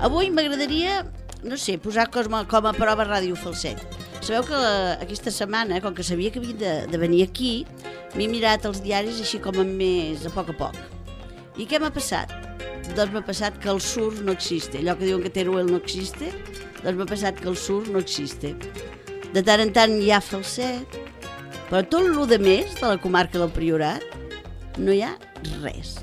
Avui m'agradaria, no sé, posar com a prova Ràdio Falset. Sabeu que aquesta setmana, com que sabia que havia de venir aquí, m'he mirat els diaris així com més a poc. I què m'ha passat? Doncs m'ha passat que el sur no existe. Allò que diuen que Teruel no existe, doncs m'ha passat que el sur no existe. De tant en tant hi ha Falset, però tot el de més de la comarca del Priorat no hi ha res.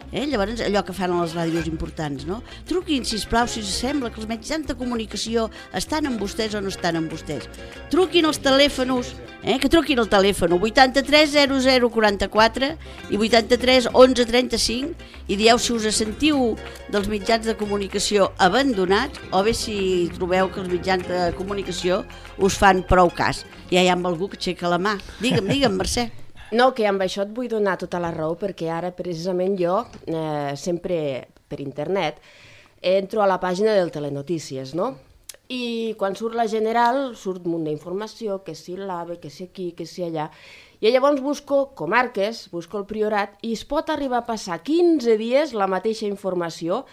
Llavors, allò que fan a les ràdios importants, no? Truquin, sisplau, si us sembla que els mitjans de comunicació estan amb vostès o no estan amb vostès. Truquin als telèfons, que truquin al telèfon 83 00 44 i 83 11 35 i dieu si us sentiu dels mitjans de comunicació abandonats o bé si trobeu que els mitjans de comunicació us fan prou cas. Ja hi ha algú que aixeca la mà. Digue'm, Mercè. No, que amb això et vull donar tota la raó, perquè ara precisament jo, sempre per internet, entro a la pàgina del Telenotícies, no? I quan surt la General, surt un munt d'informació, que si l'AVE, que si aquí, que si allà, i llavors busco comarques, busco el Priorat, i es pot arribar a passar 15 dies la mateixa informació,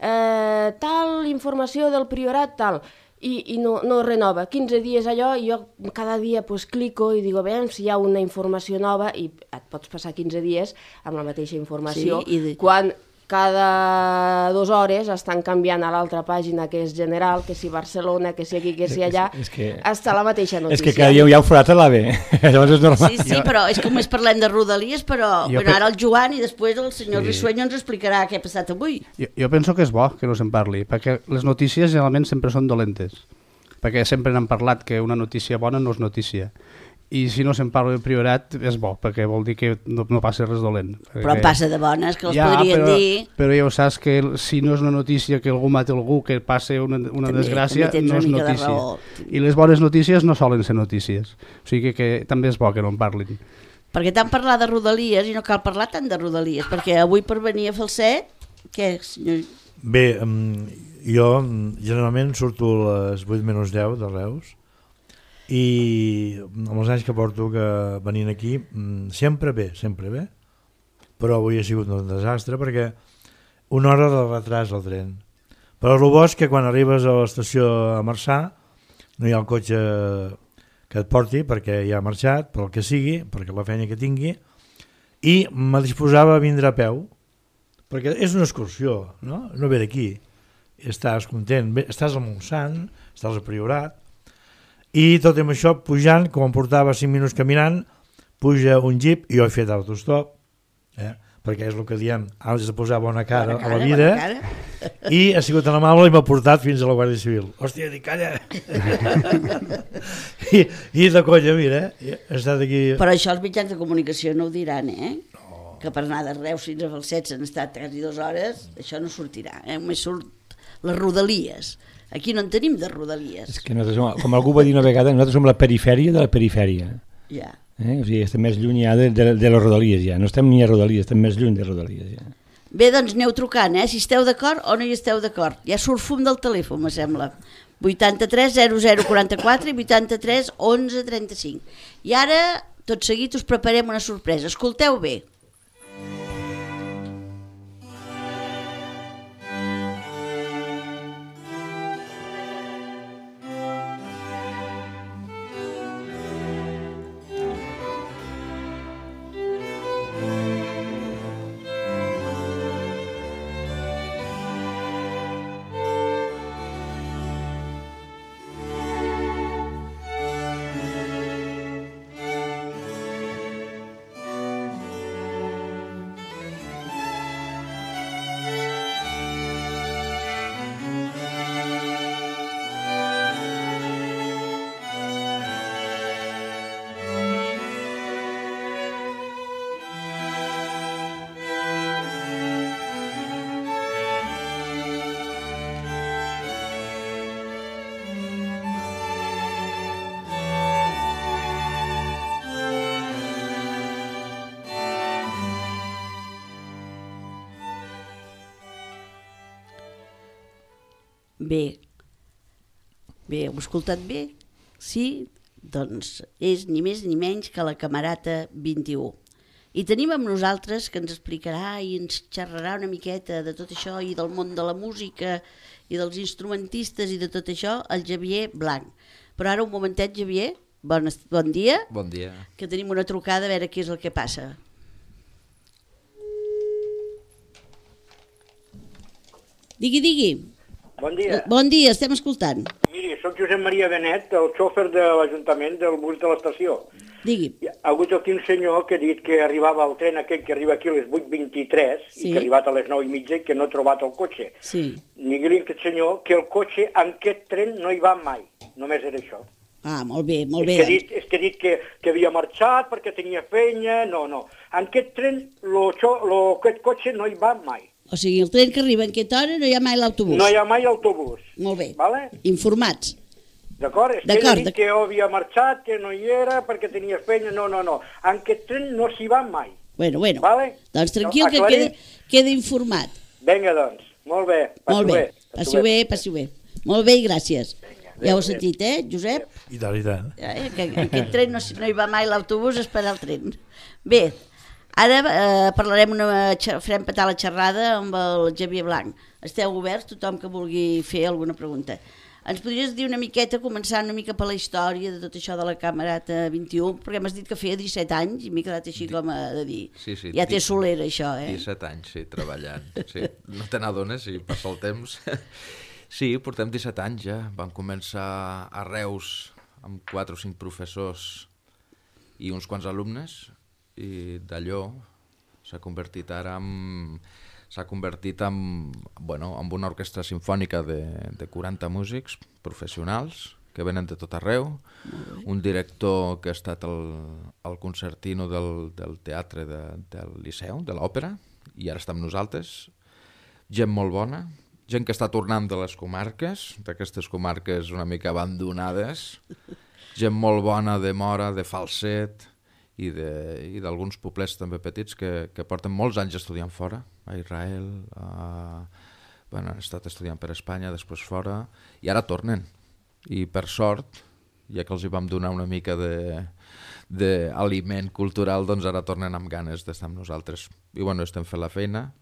tal informació del Priorat, tal, i no renova, 15 dies allò, i jo cada dia clico i digo, veiem si hi ha una informació nova, i et pots passar 15 dies amb la mateixa informació, sí, quan cada 2 hores estan canviant a l'altra pàgina, que és General, que si Barcelona, que si aquí, que si allà, està la mateixa notícia. És que cada dia hi ha un forat a l'AVE, llavors és normal. Sí, però és que només parlem de Rodalies, però ara el Joan i després el senyor Rissueño ens explicarà què ha passat avui. Jo penso que és bo que no se'n parli, perquè les notícies generalment sempre són dolentes, perquè sempre n'han parlat que una notícia bona no és notícia. I si no se'n parla del Priorat és bo, perquè vol dir que no passa res dolent. Però passa de bones, que els podrien dir... Però ja ho saps que si no és una notícia que algú mata algú, que passa una desgràcia, no és notícia. I les bones notícies no solen ser notícies. O sigui que també és bo que no en parlin. Perquè tant parlar de Rodalies, i no cal parlar tant de Rodalies, perquè avui per venir a Falset, què, senyor? Bé, jo generalment surto a les 8:10 de Reus, i amb els anys que porto venint aquí sempre bé, però avui ha sigut un desastre perquè una hora de retras al tren, però el bo és que quan arribes a l'estació a Marçà no hi ha el cotxe que et porti perquè ja ha marxat, per el que sigui, perquè la feina que tingui, i me disposava a vindre a peu perquè és una excursió, no ve d'aquí, estàs content, estàs al Montsant, estàs al Priorat. I tot amb això, pujant, com em portava 5 minuts caminant, puja un jeep, i jo he fet autostop, perquè és el que diem, has de posar bona cara a la vida, i ha sigut tan amable i m'ha portat fins a la Guàrdia Civil. Hòstia, dic, calla! I de colla, mira, he estat aquí... Però això els mitjans de comunicació no ho diran, No. Que per anar de Reus fins a Falset s'han estat quasi 2 hores, això no sortirà, Només surt les Rodalies. Aquí no en tenim de Rodalies. És que nosaltres, com algú va dir una vegada, nosaltres som la perifèria de la perifèria. Ja. O sigui, estem més lluny ja de les Rodalies, ja. No estem ni a Rodalies, estem més lluny de Rodalies, ja. Bé, doncs aneu trucant, si esteu d'acord o no hi esteu d'acord. Ja surt fum del telèfon, me sembla. 83 00 44 i 83 11 35. I ara, tot seguit, us preparem una sorpresa. Escolteu bé. Bé, heu escoltat bé? Sí? Doncs és ni més ni menys que la Camerata 21. I tenim amb nosaltres que ens explicarà i ens xerrarà una miqueta de tot això i del món de la música i dels instrumentistes i de tot això, el Xavier Blanc. Però ara un momentet, Xavier, bon dia. Bon dia. Que tenim una trucada a veure què és el que passa. Digui. Bon dia. Bon dia, estem escoltant. Miri, soc Josep Maria Benet, el xòfer de l'Ajuntament del bus de l'estació. Digui. Ha hagut aquí un senyor que ha dit que arribava el tren aquell que arriba aquí a les 8:23 Sí. i que ha arribat a les 9:30 i que no ha trobat el cotxe. Sí. Digui-li a aquest senyor que el cotxe en aquest tren no hi va mai. Només era això. Ah, molt bé, molt bé. És que ha dit que havia marxat perquè tenia feina. No. En aquest tren aquest cotxe no hi va mai. O sigui, el tren que arriba en aquesta hora no hi ha mai l'autobús. No hi ha mai autobús. Molt bé. Vale? Informats. D'acord? És que ell ha dit que havia marxat, que no hi era perquè tenia feina. No. En aquest tren no s'hi va mai. Bueno. Vale? Doncs tranquil, que queda informat. Vinga, doncs. Molt bé. Molt bé. Passi-ho bé. Molt bé i gràcies. Ja ho has sentit, Josep? I tant. Que en aquest tren no hi va mai l'autobús a esperar el tren. Bé, ara farem petar la xerrada amb el Xavier Blanc. Esteu oberts, tothom que vulgui fer alguna pregunta. Ens podries dir una miqueta, començar una mica per la història de tot això de la Camerata 21, perquè m'has dit que feia 17 anys i m'he quedat així com de dir. Sí, ja té solera, això, 17 anys, sí, treballant. Sí. No te n'adones i passa el temps. Sí, portem 17 anys ja. Vam començar a Reus amb 4 o 5 professors i uns quants alumnes, i d'allò s'ha convertit ara en una orquestra sinfònica de 40 músics professionals que venen de tot arreu, un director que ha estat el concertino del teatre del Liceu, de l'òpera, i ara està amb nosaltres, gent molt bona, gent que està tornant de les comarques, d'aquestes comarques una mica abandonades, gent molt bona de Móra, de Falset, i d'alguns poblets també petits que porten molts anys estudiant fora, a Israel, han estat estudiant per Espanya, després fora, i ara tornen. I per sort, ja que els hi vam donar una mica d'aliment cultural, doncs ara tornen amb ganes d'estar amb nosaltres. I estem fent la feina,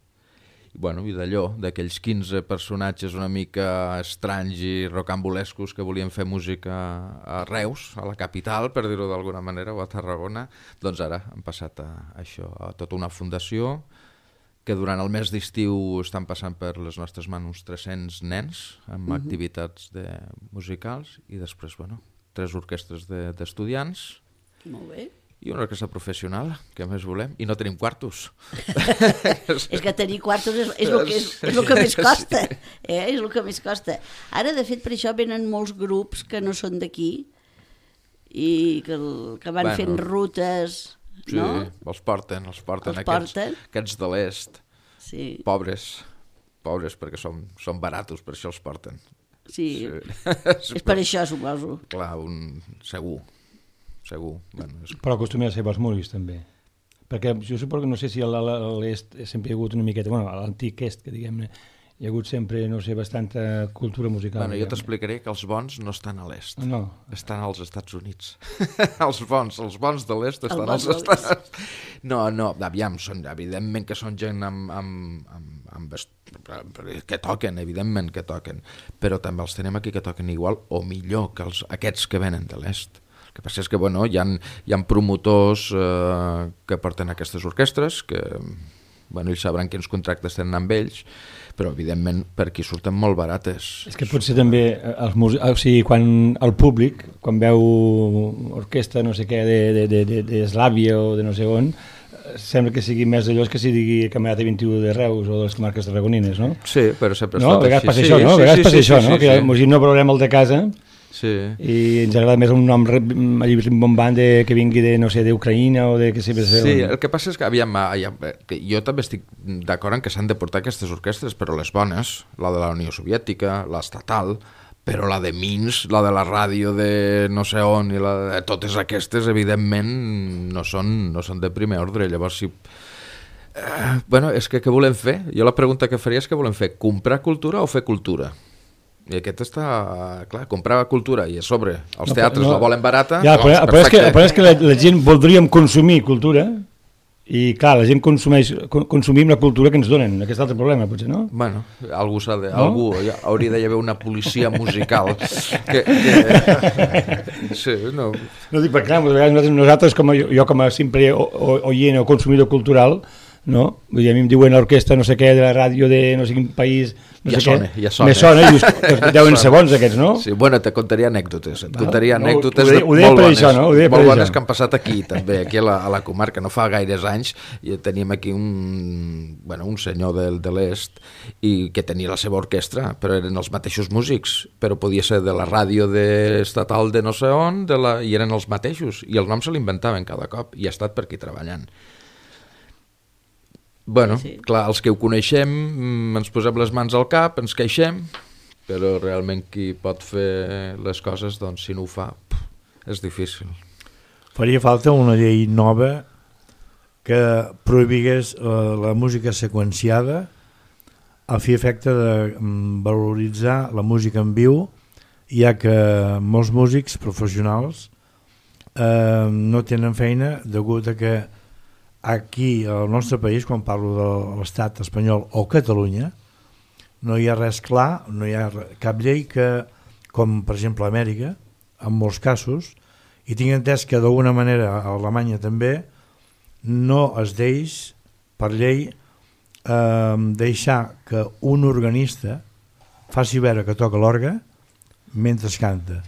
i d'allò, d'aquells 15 personatges una mica estranys i rocambolescos que volien fer música a Reus, a la capital, per dir-ho d'alguna manera, o a Tarragona, doncs ara han passat a això, a tota una fundació, que durant el mes d'estiu estan passant per les nostres mans uns 300 nens amb activitats musicals, i després, 3 orquestres d'estudiants. Molt bé. I una orquestra professional, que més volem, i no tenim quartos. És que tenir quartos és el que més costa, és el que més costa. Ara, de fet, per això venen molts grups que no són d'aquí i que van fent rutes, no? Sí, els porten aquests de l'est, pobres, perquè són baratos, per això els porten. Sí, és per això, suposo. Clar, segur. Però acostumem a ser pels músics, també. Perquè jo suposo que no sé si a l'est sempre hi ha hagut una miqueta, a l'antic est, que diguem-ne, hi ha hagut sempre, no sé, bastanta cultura musical. Jo t'explicaré que els bons no estan a l'est, estan als Estats Units. Els bons de l'est estan als Estats Units. No, aviam, evidentment que són gent que toquen, evidentment que toquen, però també els tenim aquí que toquen igual o millor que aquests que venen de l'est. El que passa és que hi ha promotors que porten aquestes orquestres, que ells sabran quins contractes tenen amb ells, però evidentment per aquí surten molt barates. És que potser també quan el públic, quan veu orquestra no sé què d'Eslàvia o de no sé on, sembla que sigui més d'allò que si digui Camerata 21 de Reus o de les comarques tarragonines, no? Sí, però sempre ha estat així. A vegades passa això, no? Que no veurem el de casa i ens agrada més un nom rimbombant que vingui d'Ucraïna o de que sigui... Sí, el que passa és que jo també estic d'acord en que s'han de portar aquestes orquestres, però les bones, la de la Unió Soviètica, l'estatal, però la de Minsk, la de la ràdio de no sé on, i totes aquestes, evidentment, no són de primer ordre. Llavors, és que què volem fer? Jo la pregunta que faria és què volem fer, comprar cultura o fer cultura? I aquest està... Clar, comprar cultura i a sobre els teatres la volen barata... Ja, però és que la gent voldríem consumir cultura i, clar, la gent consumim la cultura que ens donen. Aquest altre problema, potser, no? Bueno, algú hauria d'haver una policia musical que... Sí, no... No dic, perquè clar, nosaltres jo com a simple oient o consumidor cultural, no? Vull dir, a mi em diuen l'orquestra no sé què de la ràdio de no sé quin país, no ja sé sona, què. Ja sona. Me sona, i deuen ser bons aquests, no? Sí, bueno, te contaria anècdotes. Anècdotes ho deia molt per bones, això, no? Molt bones que han passat aquí, també, aquí a la comarca. No fa gaires anys i teníem aquí un senyor de l'est i que tenia la seva orquestra, però eren els mateixos músics, però podia ser de la ràdio estatal de no sé on, i eren els mateixos, i el nom se l'inventaven cada cop, i ha estat per aquí treballant. Bueno, sí. Clar, els que ho coneixem ens posem les mans al cap, ens queixem, però realment qui pot fer les coses, doncs si no ho fa, és difícil. Faria falta una llei nova que prohibigués la música seqüenciada a fi efecte de valoritzar la música en viu, ja que molts músics professionals no tenen feina degut a que aquí al nostre país, quan parlo de l'estat espanyol o Catalunya, no hi ha res clar, no hi ha cap llei que, com per exemple a Amèrica, en molts casos, i tinc entès que d'alguna manera a Alemanya també, no es deix per llei deixar que un organista faci veure que toca l'orgue mentre canta.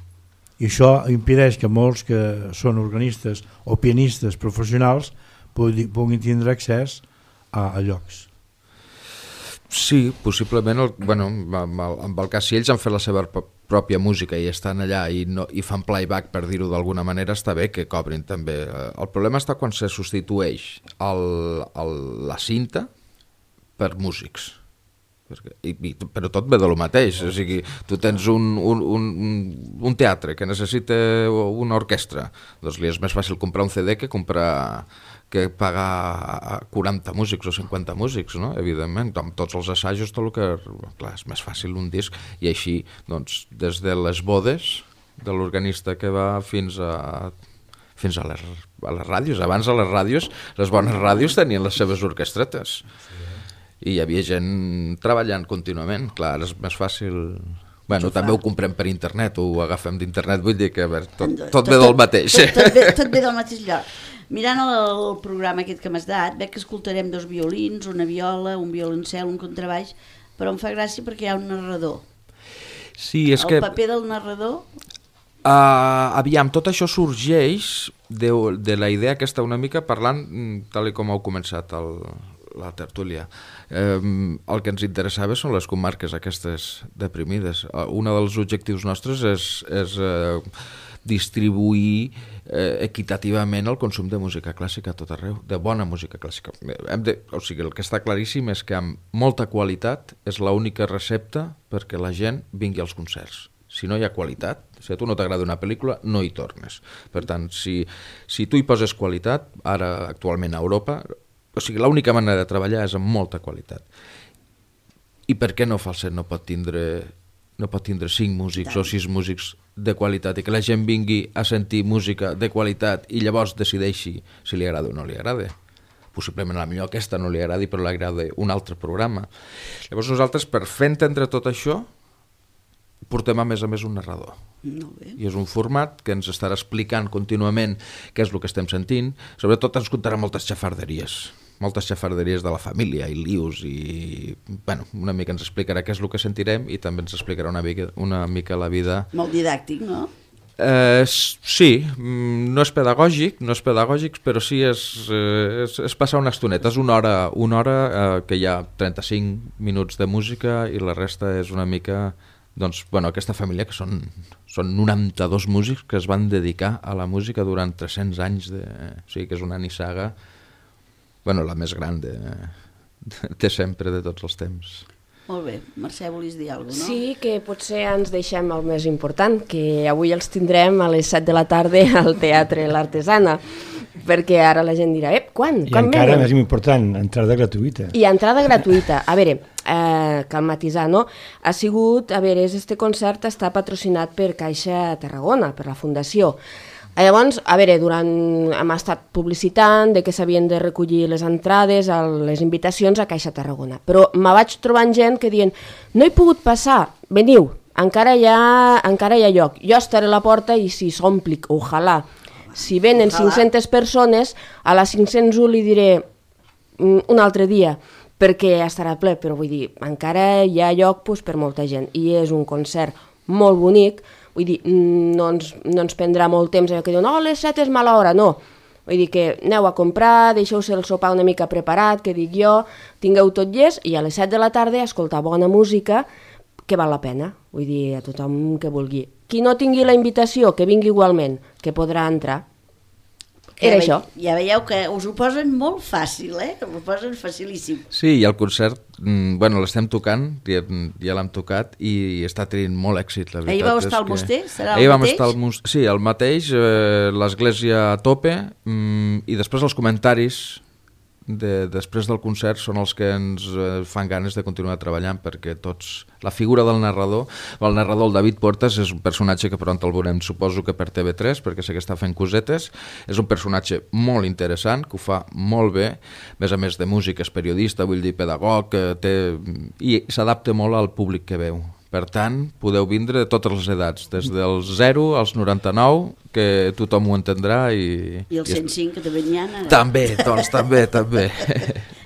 I això impedeix que molts que són organistes o pianistes professionals puguin tindre accés a llocs. Sí, possiblement, amb el cas, si ells han fet la seva pròpia música i estan allà i fan playback, per dir-ho d'alguna manera, està bé que cobrin també. El problema està quan se substitueix la cinta per músics. Però tot ve de lo mateix, o sigui, tu tens un teatre que necessita una orquestra, doncs li és més fàcil comprar un CD que pagar 40 músics o 50 músics, no? Evidentment, amb tots els assajos, tot el que... Clar, és més fàcil un disc, i així, doncs, des de les bodes de l'organista que va fins a les ràdios. Abans a les ràdios, les bones ràdios tenien les seves orquestretes. I hi havia gent treballant contínuament. Clar, és més fàcil... Bueno, també ho comprem per internet, ho agafem d'internet, vull dir que tot ve del mateix. Tot ve del mateix lloc. Mirant el programa aquest que m'has dat, veig que escoltarem 2 violins, una viola, un violoncel, un contrabaix, però em fa gràcia perquè hi ha un narrador. Sí, és que... El paper del narrador... Aviam, tot això sorgeix de la idea aquesta una mica parlant, tal com heu començat la tertúlia. El que ens interessava són les comarques aquestes deprimides. Un dels objectius nostres és distribuir equitativament el consum de música clàssica a tot arreu, de bona música clàssica. O sigui, el que està claríssim és que amb molta qualitat és l'única recepta perquè la gent vingui als concerts. Si no hi ha qualitat, si a tu no t'agrada una pel·lícula, no hi tornes. Per tant, si tu hi poses qualitat, ara actualment a Europa, o sigui, l'única manera de treballar és amb molta qualitat. I per què no Falset no pot tindre 5 músics o 6 músics de qualitat i que la gent vingui a sentir música de qualitat i llavors decideixi si li agrada o no li agrada? Possiblement a la millor aquesta no li agradi, però li agrada un altre programa. Llavors nosaltres, per fer entendre tot això, portem a més un narrador. I és un format que ens estarà explicant contínuament què és el que estem sentint. Sobretot ens contarà moltes xafarderies de la família i lius i una mica ens explicarà què és el que sentirem i també ens explicarà una mica la vida. Molt didàctic, no? Sí, no és pedagògic, però sí és passar una estoneta. És una hora que hi ha 35 minuts de música i la resta és una mica... Doncs, aquesta família que són 92 músics que es van dedicar a la música durant 300 anys, o sigui que és una nissaga, la més gran de sempre, de tots els temps. Molt bé. Mercè, volies dir alguna cosa, no? Sí, que potser ens deixem el més important, que avui els tindrem a les 7 de la tarda al Teatre L'Artesana, perquè ara la gent dirà, quan? I encara més important, entrada gratuïta. I entrada gratuïta. A veure, cal matisar, no? Ha sigut, este concert està patrocinat per Caixa Tarragona, per la Fundació. Llavors, hem estat publicitant de que s'havien de recollir les entrades, les invitacions a Caixa Tarragona, però me vaig trobant gent que diuen no he pogut passar, veniu, encara hi ha lloc, jo estaré a la porta i si s'ompli, ojalà. Si venen 500 persones, a les 501 li diré un altre dia, perquè estarà ple, però vull dir, encara hi ha lloc per molta gent, i és un concert molt bonic. Vull dir, no ens prendrà molt temps que diuen, les 7 és mala hora, no. Vull dir que aneu a comprar, deixeu-se el sopar una mica preparat, que dic jo, tingueu tot llest, i a les 7 de la tarda escoltar bona música, que val la pena. Vull dir, a tothom que vulgui. Qui no tingui la invitació, que vingui igualment, que podrà entrar. Era això. Ja veieu que us ho posen molt fàcil, us ho posen facilíssim. Sí, i el concert, l'estem tocant, ja l'hem tocat i està tenint molt èxit, la veritat. Ahir vau estar al Moster? Serà el mateix? Vam estar al Moster, sí, el mateix, l'església a tope, i després els comentaris després del concert són els que ens fan ganes de continuar treballant, perquè la figura del narrador, el David Portas, és un personatge que pront el veurem, suposo que per TV3, perquè sé que està fent cosetes, és un personatge molt interessant, que ho fa molt bé, a més de músic, és periodista, vull dir, pedagog, i s'adapta molt al públic que veu. Per tant, podeu vindre de totes les edats, des dels 0 als 99, que tothom ho entendrà. I el 105, que també n'hi ha. També, doncs, també.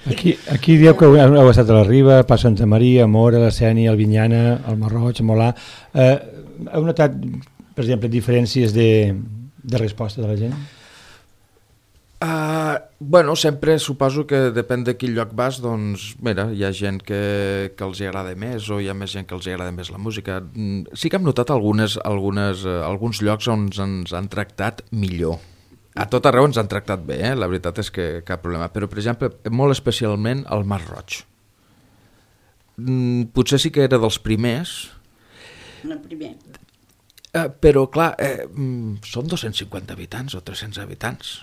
Aquí dieu que heu estat a la Riba, a Santa Maria, a Mora, a la Sénia, al Vinyana, al Marroig, a Molà. Heu notat, per exemple, diferències de resposta de la gent? Sempre suposo que depèn de quin lloc vas, doncs, mira, hi ha gent que els hi agrada més o hi ha més gent que els hi agrada més la música. Sí que hem notat alguns llocs on ens han tractat millor. A tot arreu ens han tractat bé, la veritat és que cap problema. Però, per exemple, molt especialment al Mas Roig. Potser sí que era dels primers. El primer. Però, clar, són 250 habitants o 300 habitants.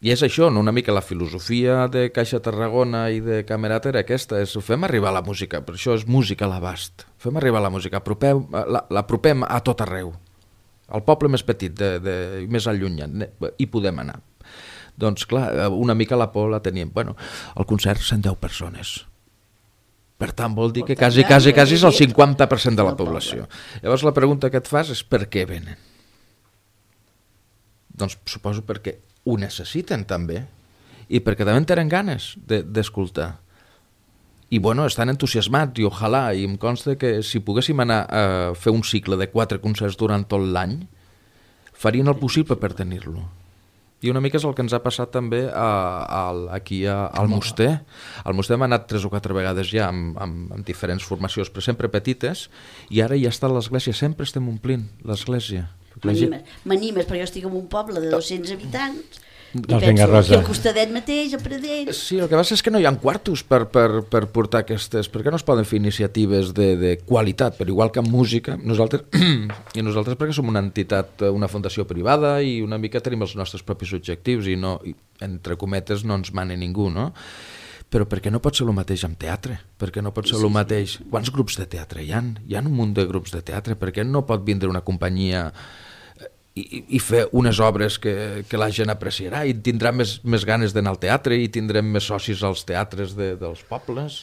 I és això, una mica la filosofia de Caixa Tarragona i de Camerata era aquesta, fem arribar la música, per això és música a l'abast, fem arribar la música, l'apropem a tot arreu, al poble més petit, més allunyat, hi podem anar. Doncs clar, una mica la por la teníem, al concert 110 persones, per tant vol dir que quasi és el 50% de la població. Llavors la pregunta que et fas és per què venen? Doncs suposo perquè ho necessiten també i perquè també en tenen ganes d'escoltar i estan entusiasmats i ojalà, i em consta que si poguéssim anar a fer un cicle de 4 concerts durant tot l'any farien el possible per tenir-lo. I una mica és el que ens ha passat també aquí al Moster. Al Moster hem anat 3 o 4 vegades ja amb diferents formacions, però sempre petites, i ara ja està l'església, sempre estem omplint l'església. M'animes, perquè jo estic en un poble de 200 habitants i penso que al costadet mateix, a Pradell. Sí, el que passa és que no hi ha quartos per portar aquestes, perquè no es poden fer iniciatives de qualitat, però igual que en música, nosaltres perquè som una entitat, una fundació privada i una mica tenim els nostres propis objectius i entre cometes no ens mana ningú, no? Però per què no pot ser el mateix amb teatre? Per què no pot ser el mateix? Quants grups de teatre hi ha? Hi ha un munt de grups de teatre. Per què no pot vindre una companyia i fer unes obres que la gent apreciarà i tindrà més ganes d'anar al teatre i tindrem més socis als teatres dels pobles?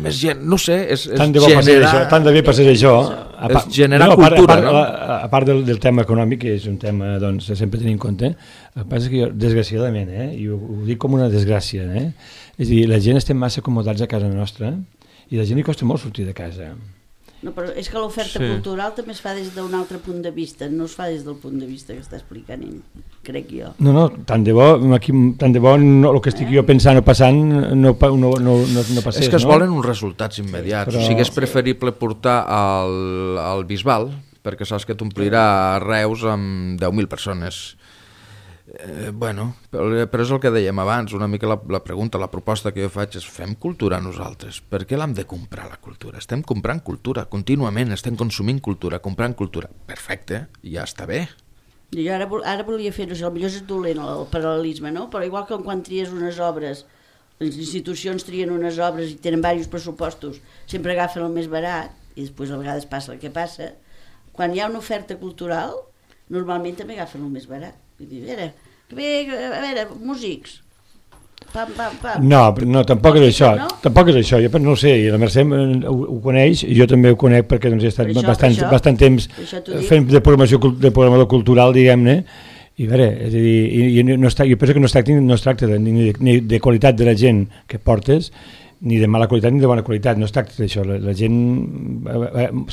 Més gent, no sé, és generar... Tant de bé passés això. És generar cultura, no? A part del tema econòmic, que és un tema que sempre tenim en compte, el que passa és que jo, desgraciadament, i ho dic com una desgràcia, és a dir, la gent estem massa acomodats a casa nostra i la gent li costa molt sortir de casa. No, però és que l'oferta cultural també es fa des d'un altre punt de vista, no es fa des del punt de vista que està explicant ell, crec jo. No, tant de bo el que estic jo pensant o passant no passés. És que es volen uns resultats immediats, o sigui, és preferible portar al Bisbal, perquè saps que t'omplirà Reus amb 10.000 persones. Bueno, però és el que dèiem abans, una mica la pregunta, la proposta que jo faig és fem cultura nosaltres. Per què l'hem de comprar, la cultura? Estem comprant cultura, contínuament estem consumint cultura, comprant cultura. Perfecte, ja està bé. Jo ara volia fer, no sé, potser és dolent el paral·lelisme, no? Però igual que quan tries unes obres, les institucions trien unes obres i tenen diversos pressupostos, sempre agafen el més barat i després a vegades passa el que passa. Quan hi ha una oferta cultural, normalment també agafen el més barat. Vull dir, a veure, músics. Pam, pam, pam. No, tampoc és això. No? Tampoc és això. Jo no sé, la Mercè ho coneix i jo també ho conec perquè doncs, he estat bastant temps fent de programador cultural, diguem-ne, i a veure, és a dir, jo penso que no es tracta ni de qualitat de la gent que portes, ni de mala qualitat ni de bona qualitat, no es tracta d'això. La gent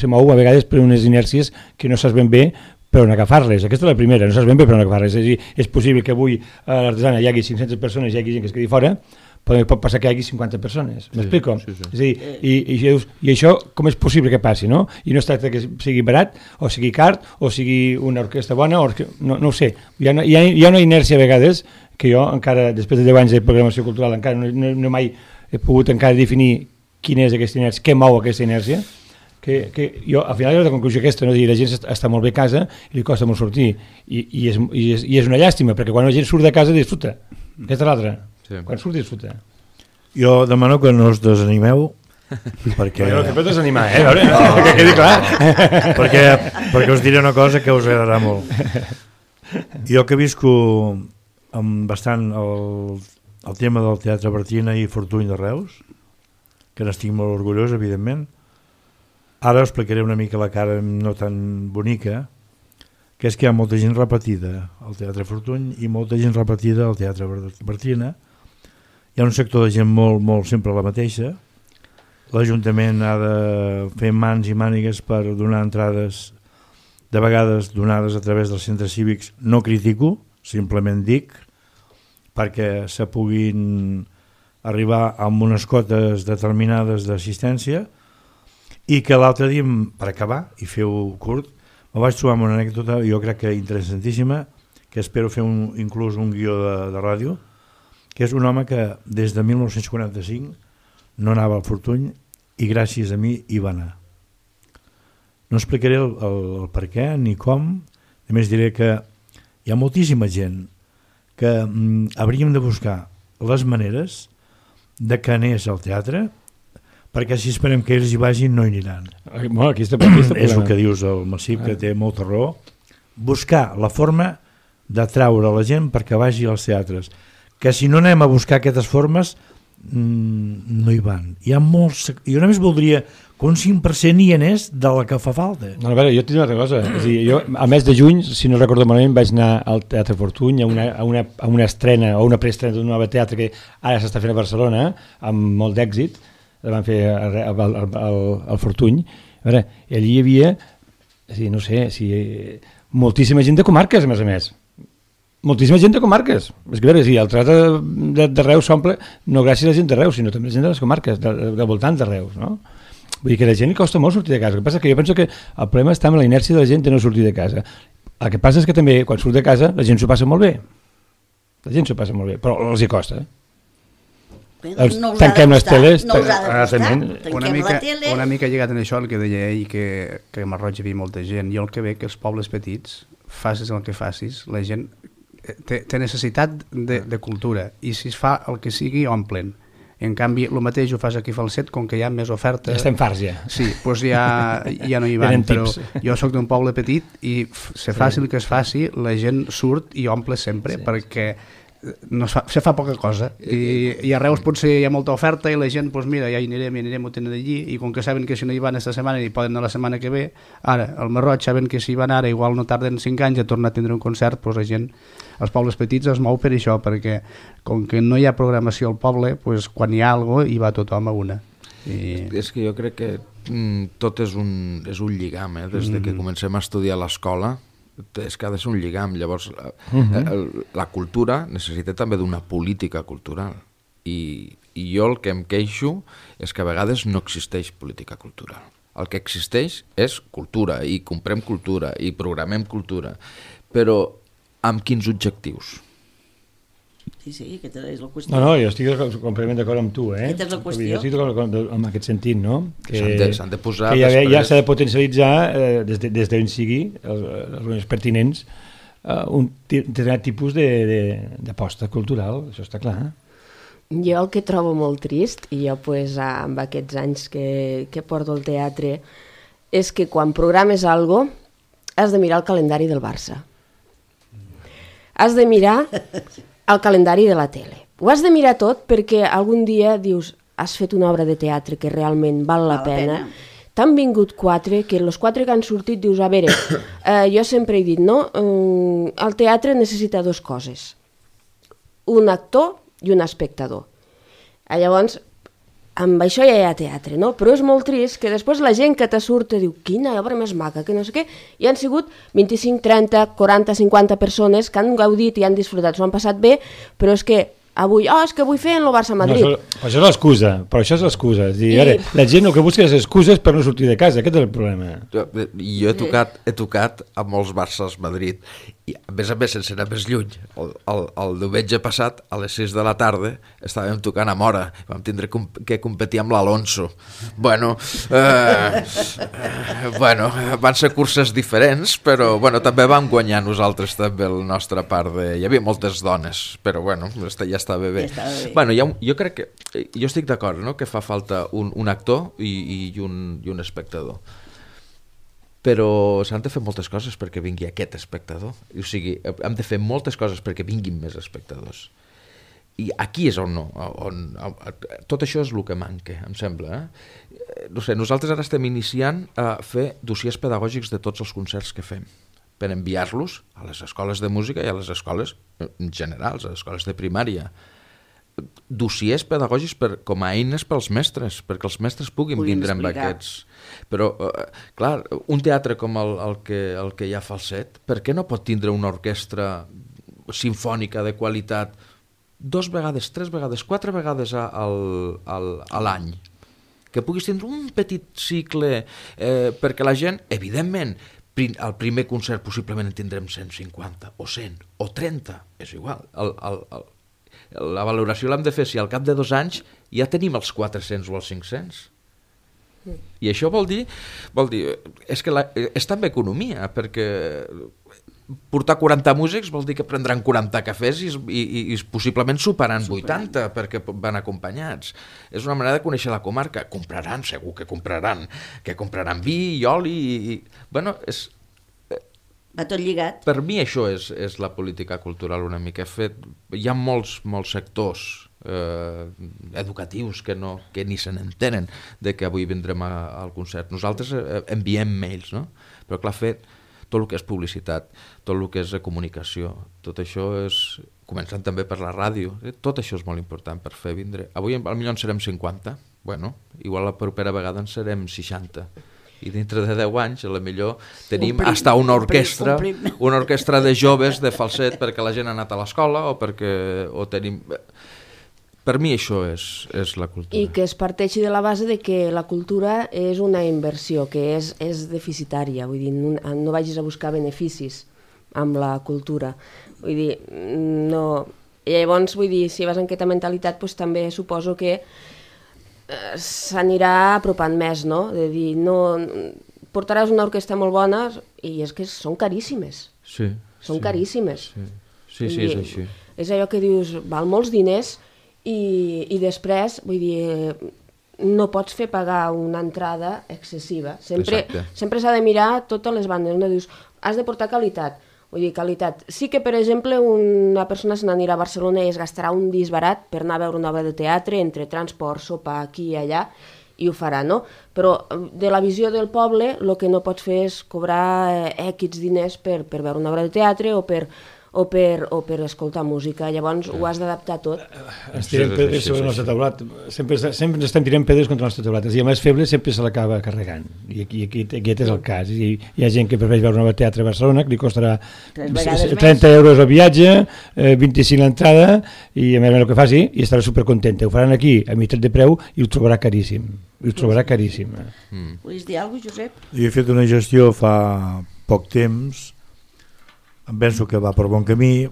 se mou a vegades per unes inèrcies que no saps ben bé per on agafar-les. Aquesta és la primera, no saps ben bé per on agafar-les. És a dir, és possible que avui a l'Artesana hi hagi 500 persones i hi hagi gent que es quedi fora, però pot passar que hi hagi 50 persones. M'explico? Sí. És a dir, i això com és possible que passi, no? I no es tracta que sigui barat, o sigui car, o sigui una orquestra bona, no ho sé. Hi ha una inèrcia a vegades que jo encara, després de 10 anys de programació cultural, encara no mai he pogut encara definir quina és aquesta inèrcia, què mou aquesta inèrcia, que jo al final he arribat a la conclusió aquesta, no? La gent està molt bé a casa i li costa molt sortir i és una llàstima, perquè quan la gent surt de casa disfruta, aquesta és l'altra, quan surt disfruta. Jo demano que no us desanimeu perquè... No te pots desanimar, que quedi clar. perquè us diré una cosa que us agradarà molt. Jo que visco amb bastant el tema del Teatre Bartina i Fortuny de Reus, que n'estic molt orgullós, evidentment. Ara explicaré una mica la cara no tan bonica, que és que hi ha molta gent repetida al Teatre Fortuny i molta gent repetida al Teatre Bartina. Hi ha un sector de gent molt sempre la mateixa. L'Ajuntament ha de fer mans i mànigues per donar entrades, de vegades donades a través dels centres cívics. No critico, simplement dic, perquè se puguin arribar amb unes cotes determinades d'assistència. I que l'altre dia, per acabar, i feu curt, me vaig trobar amb una anècdota, jo crec que interessantíssima, que espero fer inclús un guió de ràdio, que és un home que des de 1945 no anava al Fortuny i gràcies a mi hi va anar. No explicaré el per què ni com, a més diré que hi ha moltíssima gent que hauríem de buscar les maneres de que anés al teatre, perquè si esperem que ells hi vagin no hi aniran. És el que dius el Massip, que té molta raó. Buscar la forma d'atraure la gent perquè vagi als teatres, que si no anem a buscar aquestes formes no hi van. Hi ha molts... Jo només voldria que un 5% hi anés de la que fa falta. No, a veure, jo et diré una altra cosa. És a dir, jo al mes de juny, si no recordo malament, vaig anar al Teatre Fortuny a una estrena o una preestrena d'un nou teatre que ara s'està fent a Barcelona amb molt d'èxit. La van fer al Fortuny. A veure, allí hi havia, no sé, moltíssima gent de comarques, a més. Moltíssima gent de comarques. És que, a veure, el teatre de Reus s'omple no gràcies a la gent de Reus, sinó també a la gent de les comarques, del voltant de Reus, no? Vull dir que a la gent li costa molt sortir de casa. El que passa és que jo penso que el problema està en la inèrcia de la gent de no sortir de casa. El que passa és que també, quan surt de casa, la gent s'ho passa molt bé. La gent s'ho passa molt bé, però els hi costa. No tanquem les teles, una mica lligat en això el que deia ell, que a Marroig hi havia molta gent. Jo el que veig que els pobles petits, facis el que facis, la gent té necessitat de cultura i si es fa el que sigui omplen. En canvi, el mateix ho fas aquí a Falset, com que hi ha més oferta... Ja estem farts, ja. Sí, doncs ja no hi van, però jo sóc d'un poble petit i se faci el que es faci, la gent surt i omple sempre, perquè se fa poca cosa i a Reus potser hi ha molta oferta i la gent, doncs mira, ja hi anirem, ho tenen d'allí, i com que saben que si no hi van esta setmana hi poden anar la setmana que ve, ara, al Marroig saben que si hi van ara igual no tarden 5 anys a tornar a tindre un concert, doncs la gent, els pobles petits es mou per això, perquè com que no hi ha programació al poble, doncs quan hi ha alguna cosa hi va tothom a una. És que jo crec que tot és un lligam, des que comencem a estudiar a l'escola, és que ha de ser un lligam. Llavors la cultura necessita també d'una política cultural i jo el que em queixo és que a vegades no existeix política cultural. El que existeix és cultura i comprem cultura i programem cultura, però amb quins objectius? Sí, aquesta és la qüestió. No, jo estic completament d'acord amb tu, Aquesta és la qüestió. Jo estic d'acord en aquest sentit, no? S'han de posar que després... ja s'ha de potencialitzar des d'on sigui els pertinents un determinat tipus d'aposta cultural, això està clar. Jo el que trobo molt trist, i jo pues, amb aquests anys que porto al teatre, és que quan programes algo has de mirar el calendari del Barça. Has de mirar el calendari de la tele. Ho has de mirar tot perquè algun dia dius has fet una obra de teatre que realment val la pena. T'han vingut 4, que els 4 que han sortit dius, a veure, jo sempre he dit, no? El teatre necessita 2 coses. Un actor i un espectador. Llavors, amb això ja hi ha teatre, no? Però és molt trist que després la gent que te surt diu, quina obra més maca, que no sé què, i han sigut 25, 30, 40, 50 persones que han gaudit i han disfrutat, s'ho han passat bé, però és que avui, és que vull fer en el Barça-Madrid. No, això és l'excusa, però això és l'excusa. La gent el que busca és excuses per no sortir de casa, aquest és el problema. Jo he tocat a molts Barças-Madrid, i a més, sense anar més lluny. El diumenge passat, a les 6 de la tarda, estàvem tocant a Mora, vam tindre que competir amb l'Alonso. Bueno, van ser curses diferents, però també vam guanyar nosaltres també la nostra part de... Hi havia moltes dones, però ja estava bé. Jo crec que... Jo estic d'acord, no?, que fa falta un actor i un espectador. Però s'han de fer moltes coses perquè vingui aquest espectador. O sigui, hem de fer moltes coses perquè vinguin més espectadors. I aquí és on tot això és el que manca, em sembla. No sé, nosaltres ara estem iniciant a fer dossiers pedagògics de tots els concerts que fem, per enviar-los a les escoles de música i a les escoles en general, a les escoles de primària. Dossiers pedagògics com a eines pels mestres, perquè els mestres puguin vindre amb aquests. Però, clar, un teatre com el que hi ha Falset, per què no pot tindre una orquestra simfònica de qualitat 2 vegades, 3 vegades, 4 vegades a l'any? Que puguis tindre un petit cicle perquè la gent, evidentment, al primer concert possiblement en tindrem 150 o 100 o 30, és igual. La valoració l'hem de fer si al cap de 2 anys ja tenim els 400 o els 500. I això vol dir és que és també economia, perquè portar 40 músics vol dir que prendran 40 cafès i possiblement superaran 80 perquè van acompanyats. És una manera de conèixer la comarca. Compraran, segur que compraran vi i oli va tot lligat. Per mi això és la política cultural una mica. Hi ha molts sectors educatius que ni se n'entenen de que avui vindrem al concert. Nosaltres enviem mails, no? Però clar, fer tot el que és publicitat, tot el que és comunicació, tot això és... Començant també per la ràdio, tot això és molt important per fer vindre. Avui potser en serem 50, igual la propera vegada en serem 60. I dintre de 10 anys, potser tenim hasta una orquestra de joves de falset perquè la gent ha anat a l'escola o tenim... Per mi això és la cultura. I que es parteixi de la base de que la cultura és una inversió, que és deficitària, vull dir, no vagis a buscar beneficis amb la cultura. Vull dir, no... I llavors, vull dir, si vas amb aquesta mentalitat, doncs també suposo que s'anirà apropant més, no? De dir, no... Portaràs una orquestra molt bona i és que són caríssimes. Sí. Són caríssimes. Sí, és així. És allò que dius, val molts diners i després, vull dir, no pots fer pagar una entrada excessiva. Sempre s'ha de mirar totes les bandes. No dius, has de portar qualitat. Vull dir, qualitat. Sí que, per exemple, una persona se n'anirà a Barcelona i es gastarà un disbarat per anar a veure una obra de teatre, entre transport, sopar, aquí i allà, i ho farà, no? Però de la visió del poble, el que no pots fer és cobrar X diners per veure una obra de teatre o per escoltar música. Llavors ho has d'adaptar tot. Ens tirem pedres sobre el nostre teulat. Sempre ens estem tirant pedres contra el nostre teulat. I el més feble sempre se l'acaba carregant. I aquest és el cas. I hi ha gent que prefereix veure un teatre a Barcelona que li costarà 30 euros el viatge, 25 l'entrada, i a més el que faci, i estarà supercontenta. Ho faran aquí a meitat de preu i ho trobarà caríssim. Volies dir alguna cosa, Josep? Jo he fet una gestió fa poc temps. Em penso que va per bon camí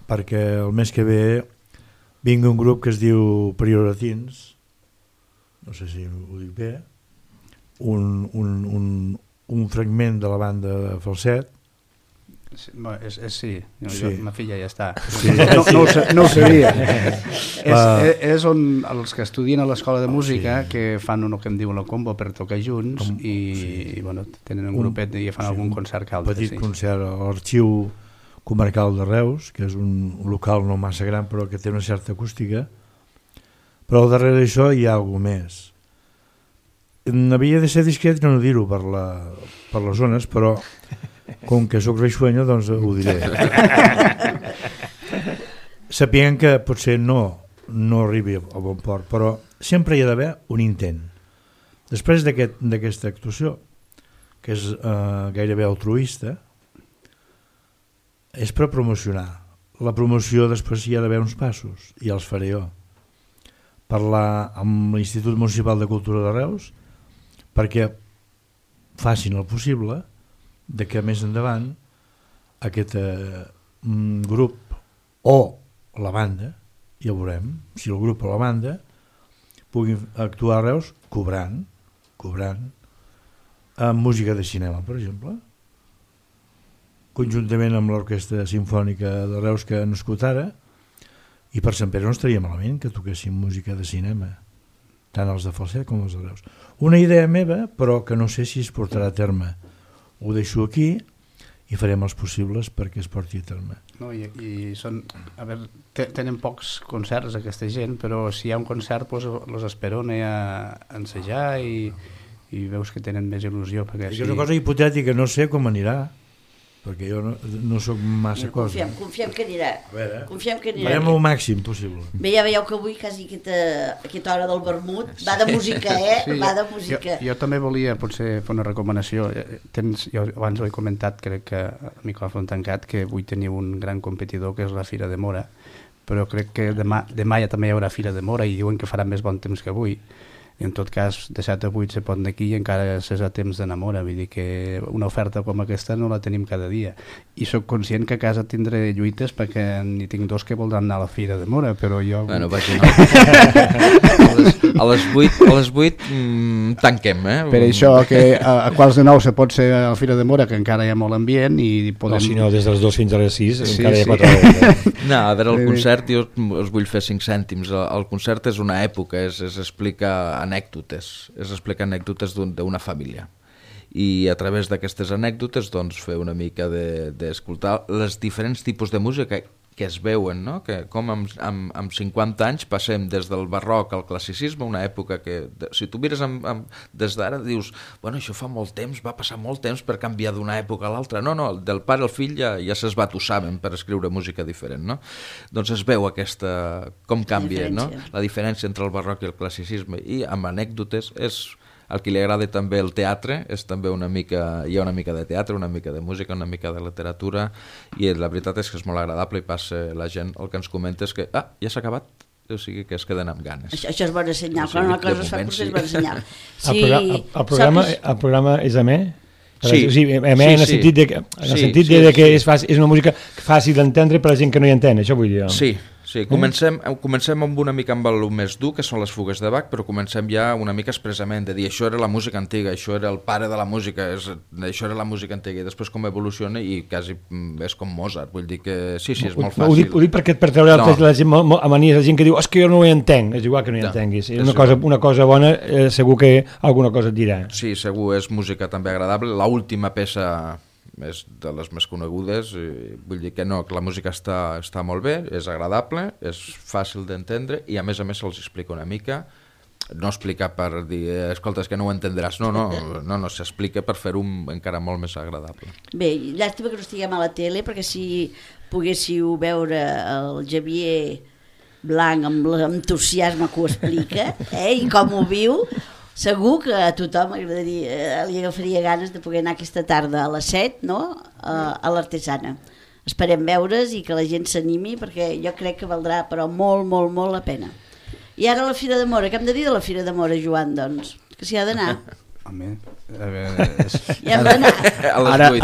perquè el mes que ve vinga un grup que es diu Prioratins, no sé si ho dic bé, un fragment de la banda de Falset. Sí, sí. Sí. Ma filla ja està. Sí. No ho sabia. És on els que estudien a l'escola de música que fan el que em diuen la combo per tocar junts i bueno, tenen un grupet i fan algun concert que altre. Un petit concert a l'Arxiu Comarcal de Reus, que és un local no massa gran però que té una certa acústica, però al darrere d'això hi ha alguna més. Havia de ser discret i no dir-ho per les zones, però com que soc reixuenyo, doncs ho diré. Sapien que potser no arribi a bon port, però sempre hi ha d'haver un intent. Després d'aquesta actuació, que és gairebé altruista, és per promocionar. La promoció després hi ha d'haver uns passos, i els faré jo. Parlar amb l'Institut Municipal de Cultura de Reus perquè facin el possible de que més endavant aquest grup o la banda, ja ho veurem, si el grup o la banda puguin actuar a Reus cobrant amb música de cinema, per exemple, conjuntament amb l'Orquestra Simfònica de Reus que ha nascut ara, i per Sant Pere no estaria malament que toquessin música de cinema, tant els de Falset com els de Reus. Una idea meva, però que no sé si es portarà a terme. Ho deixo aquí i farem els possibles perquè es porti a terme. No, i són, a veure, tenen pocs concerts aquesta gent, però si hi ha un concert los esperona a ensejar i veus que tenen més il·lusió. És una cosa hipotètica, no sé com anirà, perquè jo no soc massa cosa. Confiem que anirà. Confiem que anirà. Farem el màxim possible. Bé, ja veieu que avui quasi aquesta hora del vermut va de música, Sí, va de música. Jo també volia potser fer una recomanació. Jo abans ho he comentat, crec que a micròfon tancat, que avui teniu un gran competidor que és la Fira de Mora, però crec que demà ja també hi haurà Fira de Mora i diuen que farà més bon temps que avui. I en tot cas, de 7 a 8 se pot anar aquí i encara és a temps d'enamora, vull dir que una oferta com aquesta no la tenim cada dia. I sóc conscient que a casa tindré lluites perquè n'hi tinc dos que voldran anar a la Fira de Mora, però jo... Bueno, vaig a les 8 tanquem, eh? Per això que a quarts de 9 se pot ser a la Fira de Mora, que encara hi ha molt ambient i podem... No, si no, des de les 2 fins a les 6 Sí, encara hi ha sí. 4 hores. No, a veure, el concert jo us vull fer 5 cèntims. El concert és una època, és explicar anècdotes d'una família. I a través d'aquestes anècdotes doncs, fer una mica d'escoltar els diferents tipus de música que es veuen, no? Que com amb 50 anys passem des del barroc al classicisme, una època que, si tu mires des d'ara, dius, bueno, això fa molt temps, va passar molt temps per canviar d'una època a l'altra. No, del pare al fill ja s'esbatussaven per escriure música diferent, no? Doncs es veu com canvia, no? La diferència entre el barroc i el classicisme, i amb anècdotes és... El que li agrada també el teatre és també hi ha una mica de teatre, una mica de música, una mica de literatura, i la veritat és que és molt agradable i passa la gent, el que ens comenta és que ja s'ha acabat, o sigui que es queden amb ganes. Això és bona senyal, quan una cosa es fa potser és bona senyal. El programa és amè? Sí, o sigui, amè en el sentit de que és una música fàcil d'entendre per a gent que no hi entén, això vull dir. Sí, comencem amb una mica amb el més dur, que són les fugues de Bach, però comencem ja una mica expressament de dir això era la música antiga, això era el pare de la música, això era la música antiga, i després com evoluciona i quasi és com Mozart, vull dir que sí, és molt fàcil. Ho dic perquè per treure la gent a manies, la gent que diu és que jo no ho entenc, és igual que no hi entenguis, una cosa bona, segur que alguna cosa et dirà. Sí, segur, és música també agradable. L'última peça és de les més conegudes, vull dir que no, que la música està molt bé, és agradable, és fàcil d'entendre i a més se'ls explica una mica, no explicar per dir, escolta, és que no ho entendràs, no, s'explica per fer-ho encara molt més agradable. Bé, llàstima que no estiguem a la tele, perquè si poguéssiu veure el Javier Blanc amb l'entusiasme que ho explica, i com ho viu, segur que a tothom li agafaria ganes de poder anar aquesta tarda a les 7, no? A l'Artesana. Esperem veure's i que la gent s'animi, perquè jo crec que valdrà però molt, molt, molt la pena. I ara la Fira de Mora, què hem de dir de la Fira de Mora, Joan, doncs? Que s'hi ha d'anar. Home, a veure... Ja hem d'anar.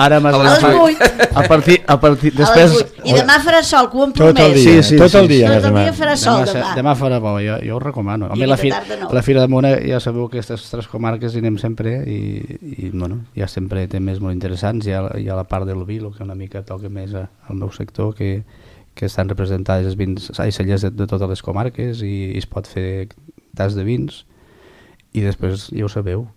Ara m'has A les 8. A partir... A Després... les 8. I demà farà sol, que ho hem Tot el promès. dia, Sí, tot el dia. Tot el dia farà sol demà. Demà farà bo, jo ho recomano. Home, aquesta tarda no. la Fira de Mora ja sabeu que aquestes 3 comarques hi anem sempre i bueno, ja sempre té més molt interessants. Hi ha la part del vi, el que una mica toca més al meu sector, que estan representades els vins i cellers de totes les comarques i es pot fer tas de vins i després ja ho sabeu,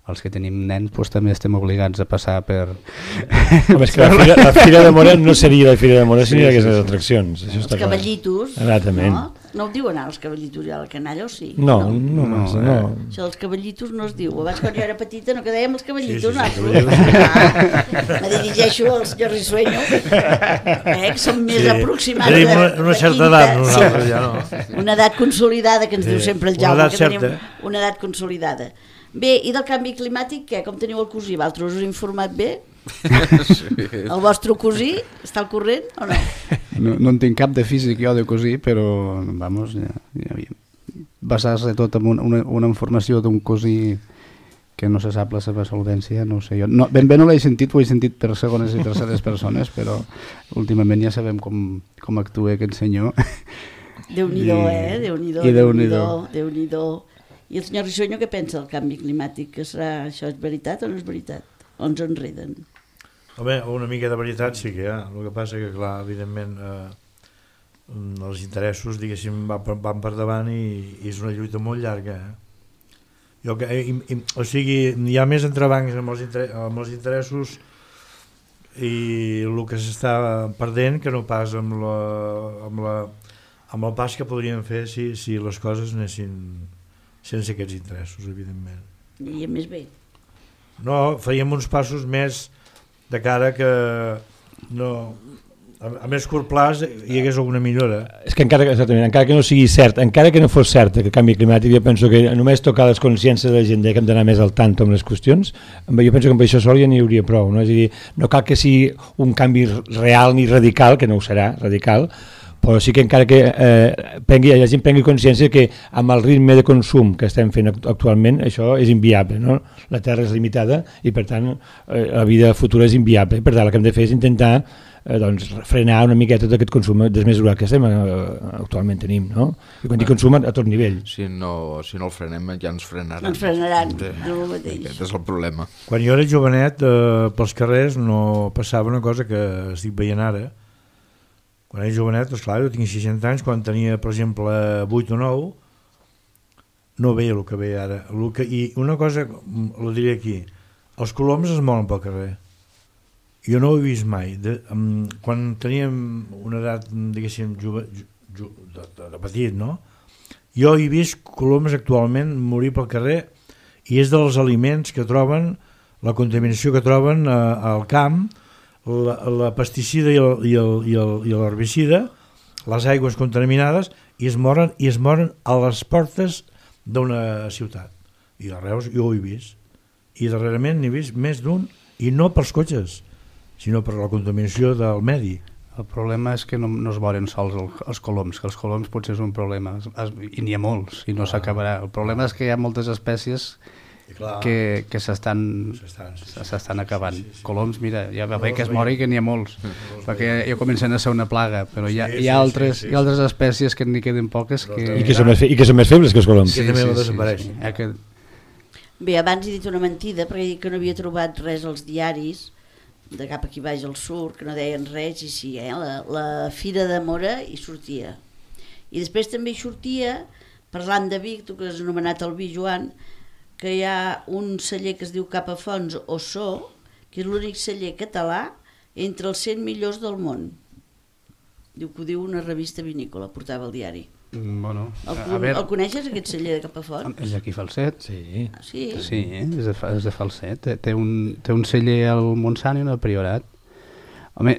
els que tenim nens doncs, també estem obligats a passar per... Home, és que la Fira de Mora no seria la Fira de Mora si no hi hagués les atraccions. Això Els està clar. cavallitos. Exactament. No ho diuen ara els cavallitos i a la canalla, o sí? No. Això dels cavallitos no es diu. Abans quan jo era petita no que dèiem els cavallitos, me dirigeixo al senyor Risueño, que som més aproximats. Tenim una certa edat, nosaltres ja no. Una edat consolidada, que ens diu sempre el Jaume, una edat que tenim certa. una edat consolidada. Bé, i del canvi climàtic, què? Com teniu el cosí? Vosaltres us heu informat bé? El vostre cosí està al corrent o no? No en tinc cap de físic jo de cosí, però vamos, basar-se tot en una informació d'un cosí que no se sap la seva solvència, no ho sé jo. No, ben bé no l'he sentit, ho he sentit per segones i terceres persones, però últimament ja sabem com actua aquest senyor. Déu-n'hi-do, Déu-n'hi-do, Déu-n'hi-do. I el senyor Risueño què pensa del canvi climàtic? Que serà, això és veritat o no és veritat? O ens enreden? Home, una mica de veritat sí que hi ha. El que passa que, clar, evidentment, els interessos, diguéssim, van per davant i és una lluita molt llarga. O sigui, hi ha més entrebancs amb els interessos i el que s'està perdent que no pas amb el pas que podríem fer si les coses anessin sense aquests interessos, evidentment. I més bé. No, faríem uns passos més de cara que no, a més curt plaç hi hagués alguna millora. És que encara que no sigui cert, encara que no fos cert el canvi climàtic, jo penso que només tocar les consciències de la gent que hem d'anar més al tanto amb les qüestions, jo penso que amb això sol ja n'hi hauria prou, no? És a dir, no cal que sigui un canvi real ni radical, que no ho serà, radical, però sí que encara que la gent prengui consciència que amb el ritme de consum que estem fent actualment això és inviable, no? La Terra és limitada i per tant la vida futura és inviable, per tant el que hem de fer és intentar frenar una miqueta tot aquest consum desmesurat que actualment tenim, no? I quan dic consum a tot nivell. Si no el frenem ja ens frenaran. Ens frenaran, no el mateix. Aquest és el problema. Quan jo era jovenet pels carrers no passava una cosa que estic veient ara. Quan era jovenet, esclar, jo tinc 60 anys, quan tenia, per exemple, 8 o 9, no veia el que veia ara. I una cosa, la diré aquí, els coloms es mouen pel carrer. Jo no ho he vist mai. Quan teníem una edat, diguéssim, de petit, no? Jo he vist coloms actualment morir pel carrer i és dels aliments que troben, la contaminació que troben al camp, la pesticida i l'herbicida, les aigües contaminades, i es moren a les portes d'una ciutat. I a Reus jo ho he vist. I darrerament n'he vist més d'un, i no pels cotxes, sinó per la contaminació del medi. El problema és que no es moren sols els coloms, que els coloms potser és un problema, i n'hi ha molts, i no s'acabarà. El problema és que hi ha moltes espècies que s'estan acabant. Sí. Coloms, mira, ja va bé que es mori que n'hi ha molts, perquè ja comencen a ser una plaga, però hi ha altres espècies que n'hi queden poques I que són més febles que els coloms. Que també desapareixen. Bé, abans he dit una mentida perquè he dit que no havia trobat res als diaris de cap aquí baix al sud, que no deien res, i sí, la Fira de Mora hi sortia. I després també hi sortia, parlant de Vic, tu que has anomenat el vi, Joan, que hi ha un celler que es diu Capafons Ossó, que és l'únic celler català entre els 100 millors del món. Diu que ho diu una revista vinícola, portava al diari. Bueno, el coneixes, aquest celler de Capafons? És d'aquí Falset. Sí. Sí, és de Falset. Té un celler al Montsant i un al Priorat. Home,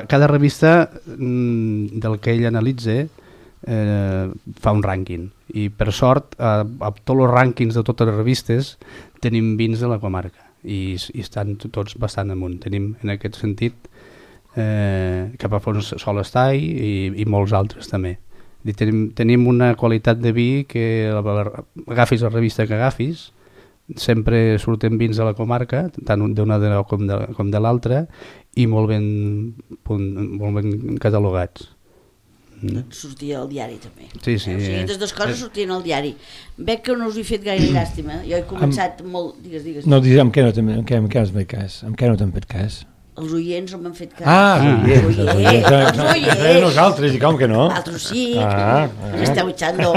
cada revista del que ell analitza fa un rànquing i per sort a tots els rànquings de totes les revistes tenim vins de la comarca i estan tots bastant amunt. Tenim en aquest sentit Capafons sol estar i molts altres també. Tenim una qualitat de vi que agafis la revista que agafis sempre surten vins de la comarca, tant d'una com de l'altra, i molt ben catalogats. Sortia al diari també. Sí. O sigui, aquestes dues coses sortien al diari. Veig que no us he fet gaire llàstima. Jo he començat molt... Digues. No, amb què no t'han fet cas? Amb què no t'han fet cas? Els oients no m'han fet cas. Els oients. Nosaltres, i com que no? Vosaltres sí, m'esteu echando,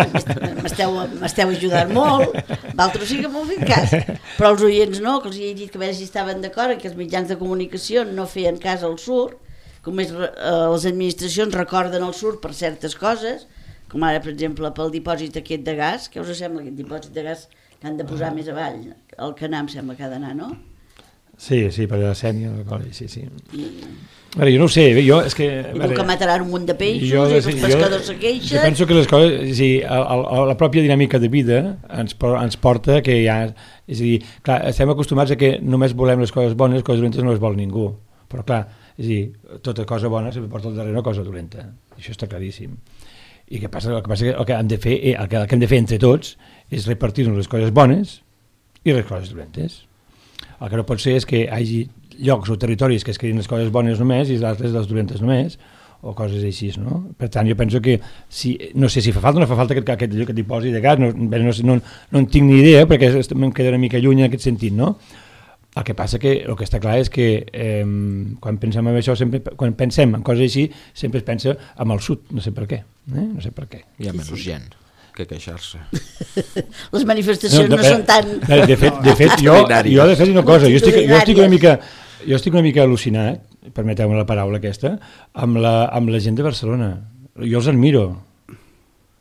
m'esteu ajudant molt, vosaltres sí que m'heu fet cas, però els oients no, que els he dit que a veure si estaven d'acord que els mitjans de comunicació no feien cas al SUR, com és les administracions recorden el SUR per certes coses, com ara, per exemple, pel dipòsit aquest de gas, què us sembla aquest dipòsit de gas que han de posar més avall? El Canà em sembla que ha d'anar, no? Sí, per la Sènia, sí. Veure, jo no ho sé, és que... I que mataran un munt de peixos i els pescadors se queixen... Jo penso que les coses, la pròpia dinàmica de vida ens porta que hi ha... És a dir, clar, estem acostumats a que només volem les coses bones, les coses dolentes no les vol ningú. Però clar, és a dir, tota cosa bona sempre porta al darrere una cosa dolenta. Això està claríssim. I el que hem de fer, el que hem de fer entre tots és repartir-nos les coses bones i les coses dolentes. El que no pot ser és que hi hagi llocs o territoris que es creïn les coses bones només i les altres les dolentes només, o coses així, no? Per tant, jo penso que, no sé si fa falta o no fa falta aquest dipòsit de gas, no en tinc ni idea, perquè em queda una mica lluny en aquest sentit, no? El que passa que el que està clar és que quan pensem en això, quan pensem en coses així, sempre es pensa en el sud, no sé per què. No sé per què. Hi ha menys gent que queixar-se. Les manifestacions no són tan... De fet, jo de fet una cosa, jo estic una mica al·lucinat, permeteu-me la paraula aquesta, amb la gent de Barcelona. Jo els admiro,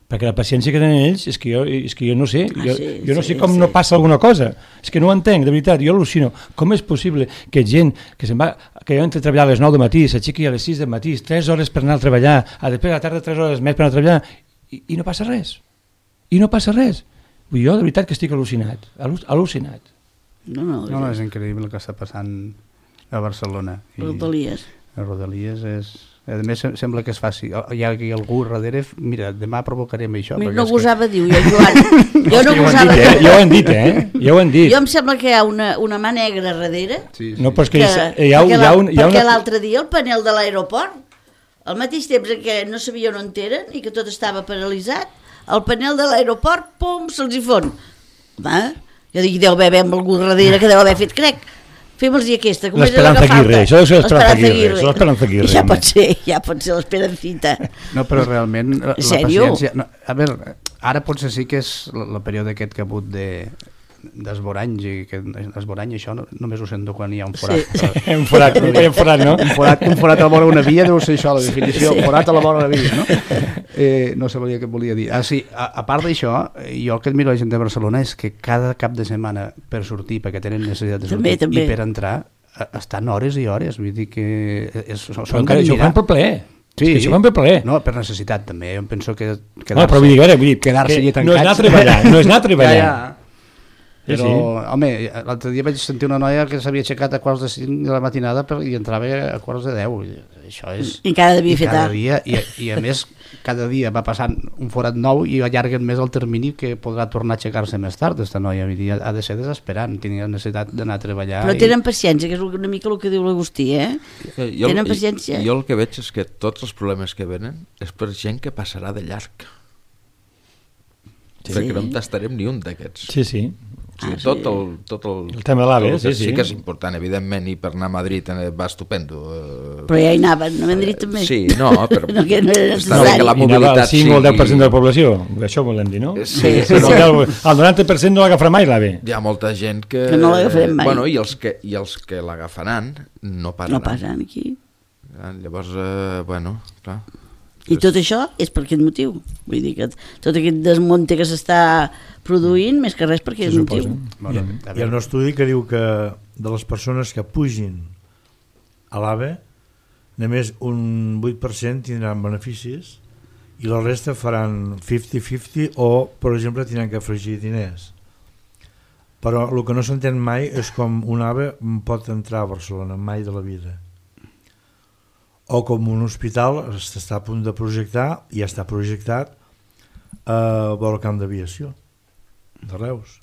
perquè la paciència que tenen ells és que jo no sé, jo no sé com no passa alguna cosa, és que no ho entenc, de veritat, jo al·lucino. Com és possible que gent que jo entro a treballar a les 9 del matí, s'aixequi a les 6 del matí, 3 hores per anar a treballar, després a la tarda 3 hores més per anar a treballar, i no passa res? I no passa res. Jo, de veritat, que estic al·lucinat. Al·lucinat. No, és increïble el que està passant a Barcelona. Rodalies. A Rodalies és... A més, sembla que es faci. Hi ha aquí algú darrere... Mira, demà provocarem això. No gosava dir-ho, Joan. Jo no gosava dir-ho. Ja ho han dit, Ja ho han dit. Jo em sembla que hi ha una mà negra darrere. Sí. No, però és que perquè l'altre dia el panel de l'aeroport, al mateix temps que no sabia on eren i que tot estava paralitzat, el panel de l'aeroport, pum, se'ls hi fon. Jo dic, deu haver algú darrere que deu haver fet, crec. Fem-los-hi aquesta. L'Esperanza Aguirre, això deu ser l'Esperanza Aguirre. Ja pot ser l'Esperancita. No, però realment la paciència... A veure, ara potser sí que és el període aquest que ha hagut d'esboranys, i que l'esborany això només ho sento quan hi ha un forat. Sí. Un forat, no? Un forat a la vora d'una via deu ser això, la definició, un forat a la vora de la via, no? No sabia què volia dir. A part d'això, jo el que admiro la gent de Barcelona és que cada cap de setmana per sortir, perquè tenen necessitat de sortir, i per entrar, estan hores i hores, vull dir que són d'admirar. Això ho fan per plaer. Sí, això van per plaer. No, per necessitat també, jo penso que quedar-se allà tancats... No és anar a treballar. Però, home, l'altre dia vaig sentir una noia que s'havia aixecat a quarts de 5 de la matinada i entrava a quarts de 10. Això és... I cada dia fer tard. I a més, cada dia va passant un forat nou i allarguen més el termini que podrà tornar a aixecar-se més tard, aquesta noia. Ha de ser desesperant, tenia necessitat d'anar a treballar. Però tenen paciència, que és una mica el que diu l'Agustí, Tenen paciència. Jo el que veig és que tots els problemes que venen és per gent que passarà de llarg. Perquè no en tastarem ni un d'aquests. Sí. Tot el tema de l'AVE, sí que és important, evidentment, i per anar a Madrid va estupendo. Però ja hi anaven, a Madrid també. Sí, no, però no era està bé que la mobilitat sigui... I anava el 5 o el 10% de la població, això volem dir, no? Sí. El 90% no l'agafarà mai l'AVE. Hi ha molta gent que no l'agafarem mai. Bueno, i els que l'agafaran no passen aquí. Llavors, bueno, clar. I tot això és per aquest motiu. Vull dir que tot aquest desmunte que s'està produint, més que res per aquest motiu. Hi ha un estudi que diu que de les persones que pugin a l'AVE, només un 8% tindran beneficis i la resta faran 50-50 o, per exemple, tindran que afegir diners. Però el que no s'entén mai és com un AVE pot entrar a Barcelona, mai de la vida. O com un hospital està a punt de projectar, i ja està projectat, a vora el camp d'aviació de Reus.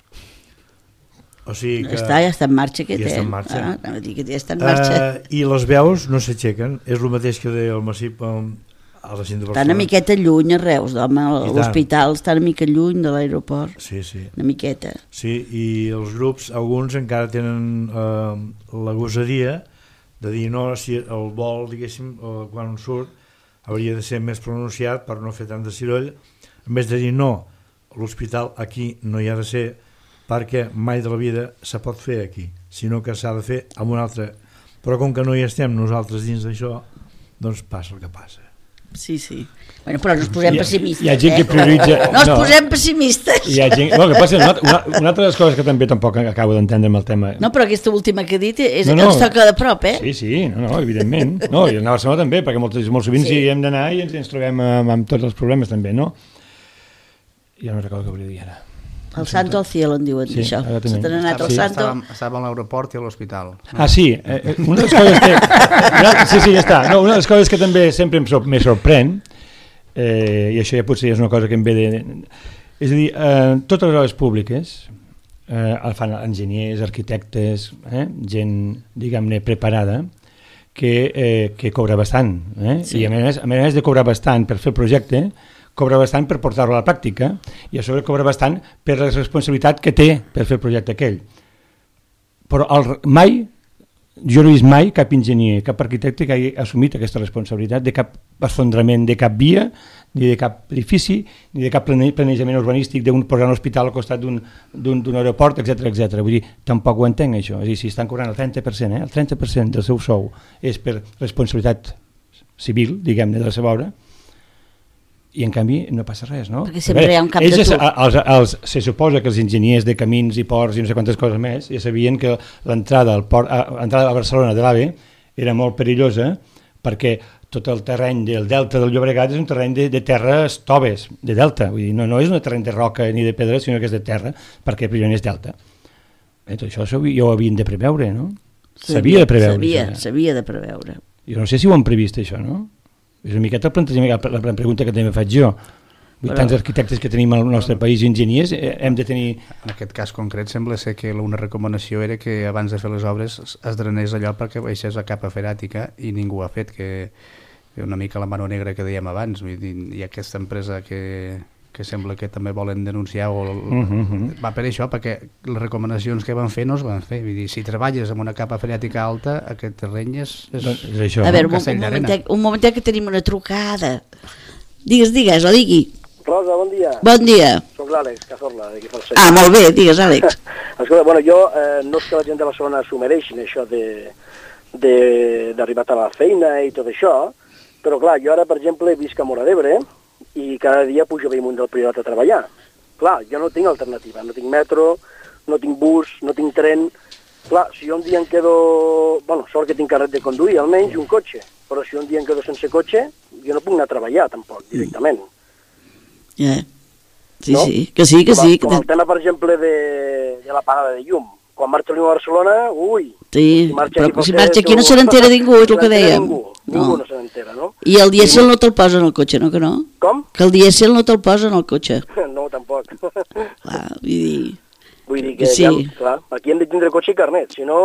O sigui que... Ja està en marxa aquest, ja està en marxa. Anava a dir que ja està en marxa. I les veus no s'aixequen, és el mateix que deia el Massip a la Cinta de Barcelona. Està una miqueta lluny a Reus, home, l'hospital està una mica lluny de l'aeroport. Sí. Una miqueta. Sí, i els grups, alguns encara tenen la gosadia de dir no, si el vol, diguéssim, quan surt, hauria de ser més pronunciat per no fer tant de ciroll, en vez de dir no, l'hospital aquí no hi ha de ser, perquè mai de la vida se pot fer aquí, sinó que s'ha de fer amb un altre. Però com que no hi estem nosaltres dins d'això, doncs passa el que passa. Sí. Bueno, però no ens posem pessimistes. Hi ha gent que prioritza... No ens posem pessimistes. Hi ha gent... No, que passa, una altra de les coses que també tampoc acabo d'entendre amb el tema... No, però aquesta última que he dit ens toca de prop, Sí, evidentment. No, i anar a Barcelona també, perquè molt sovint sí hem d'anar i ens trobem amb tots els problemes també, no? Ja no recordo què volia dir ara. El Santo al cielo en diuen això. Se t'han anat al Santo. Estava a l'aeroport i a l'hospital. Sí, una de les coses que... Sí, ja està. No, una de les coses que també sempre me sorprèn, i això ja potser és una cosa que em ve de... És a dir, totes les obres públiques el fan enginyers, arquitectes, gent, diguem-ne, preparada, que cobra bastant. I a més de cobrar bastant per fer el projecte, cobra bastant per portar-lo a la pràctica i a sobre cobra bastant per la responsabilitat que té per fer el projecte aquell. Però jo no he vist mai cap enginyer, cap arquitecte que hagi assumit aquesta responsabilitat de cap esfondrament de cap via, ni de cap edifici, ni de cap planejament urbanístic d'un posar un hospital al costat d'un aeroport, etc. Vull dir, tampoc ho entenc això. És a dir, si estan cobrant el 30%, el 30% del seu sou és per responsabilitat civil, diguem-ne, de la seva obra, i en canvi no passa res, no? Perquè sempre hi ha un cap de tu. Se suposa que els enginyers de camins i ports i no sé quantes coses més ja sabien que l'entrada a Barcelona de l'AVE era molt perillosa perquè tot el terreny del delta del Llobregat és un terreny de terres toves, de delta, vull dir, no és un terreny de roca ni de pedra, sinó que és de terra, perquè primer és delta. Tot això ja ho havien de preveure, no? S'havia de preveure. S'havia de preveure. Jo no sé si ho han previst, això, no? És una miqueta el plantejament, la pregunta que també faig jo. Tants arquitectes que tenim al nostre país i enginyers, hem de tenir... En aquest cas concret sembla ser que una recomanació era que abans de fer les obres es drenés allò perquè baixés la capa feràtica i ningú ha fet, que una mica la mano negra que dèiem abans. Vull dir, hi ha aquesta empresa que sembla que també volen denunciar va per això, perquè les recomanacions que van fer no es van fer. Vull dir, si treballes amb una capa freàtica alta, aquest terreny és això. A veure, un momentet que tenim una trucada. Digues, o digui. Rosa, bon dia. Bon dia. Soc l'Àlex Cazorla, d'aquí Falset. Molt bé, digues, Àlex. Escolta, bueno, jo no és que la gent de Barcelona s'ho mereixin, això d'arribar a la feina i tot això, però clar, jo ara, per exemple, visc a Móra d'Ebre, i cada dia pujo a Bellmunt del Priorat a treballar. Clar, jo no tinc alternativa, no tinc metro, no tinc bus, no tinc tren. Clar, si jo un dia em quedo... Bueno, sort que tinc carnet de conduir, almenys un cotxe, però si un dia em quedo sense cotxe, jo no puc anar a treballar, tampoc, directament. Ja, sí, no? que sí. Com el tema, per exemple, de la pagada de llum. Quan marxa l'Unió a Barcelona, ui... Sí, però si marxa aquí no se n'entera ningú, és el que dèiem. Ningú no se n'entera, no? I el dièsel no te'l posa en el cotxe, no que no? Com? Que el dièsel no te'l posa en el cotxe. No, tampoc. Clar, vull dir que sí. Ja, clar, aquí hem de tindre cotxe i carnet, si no,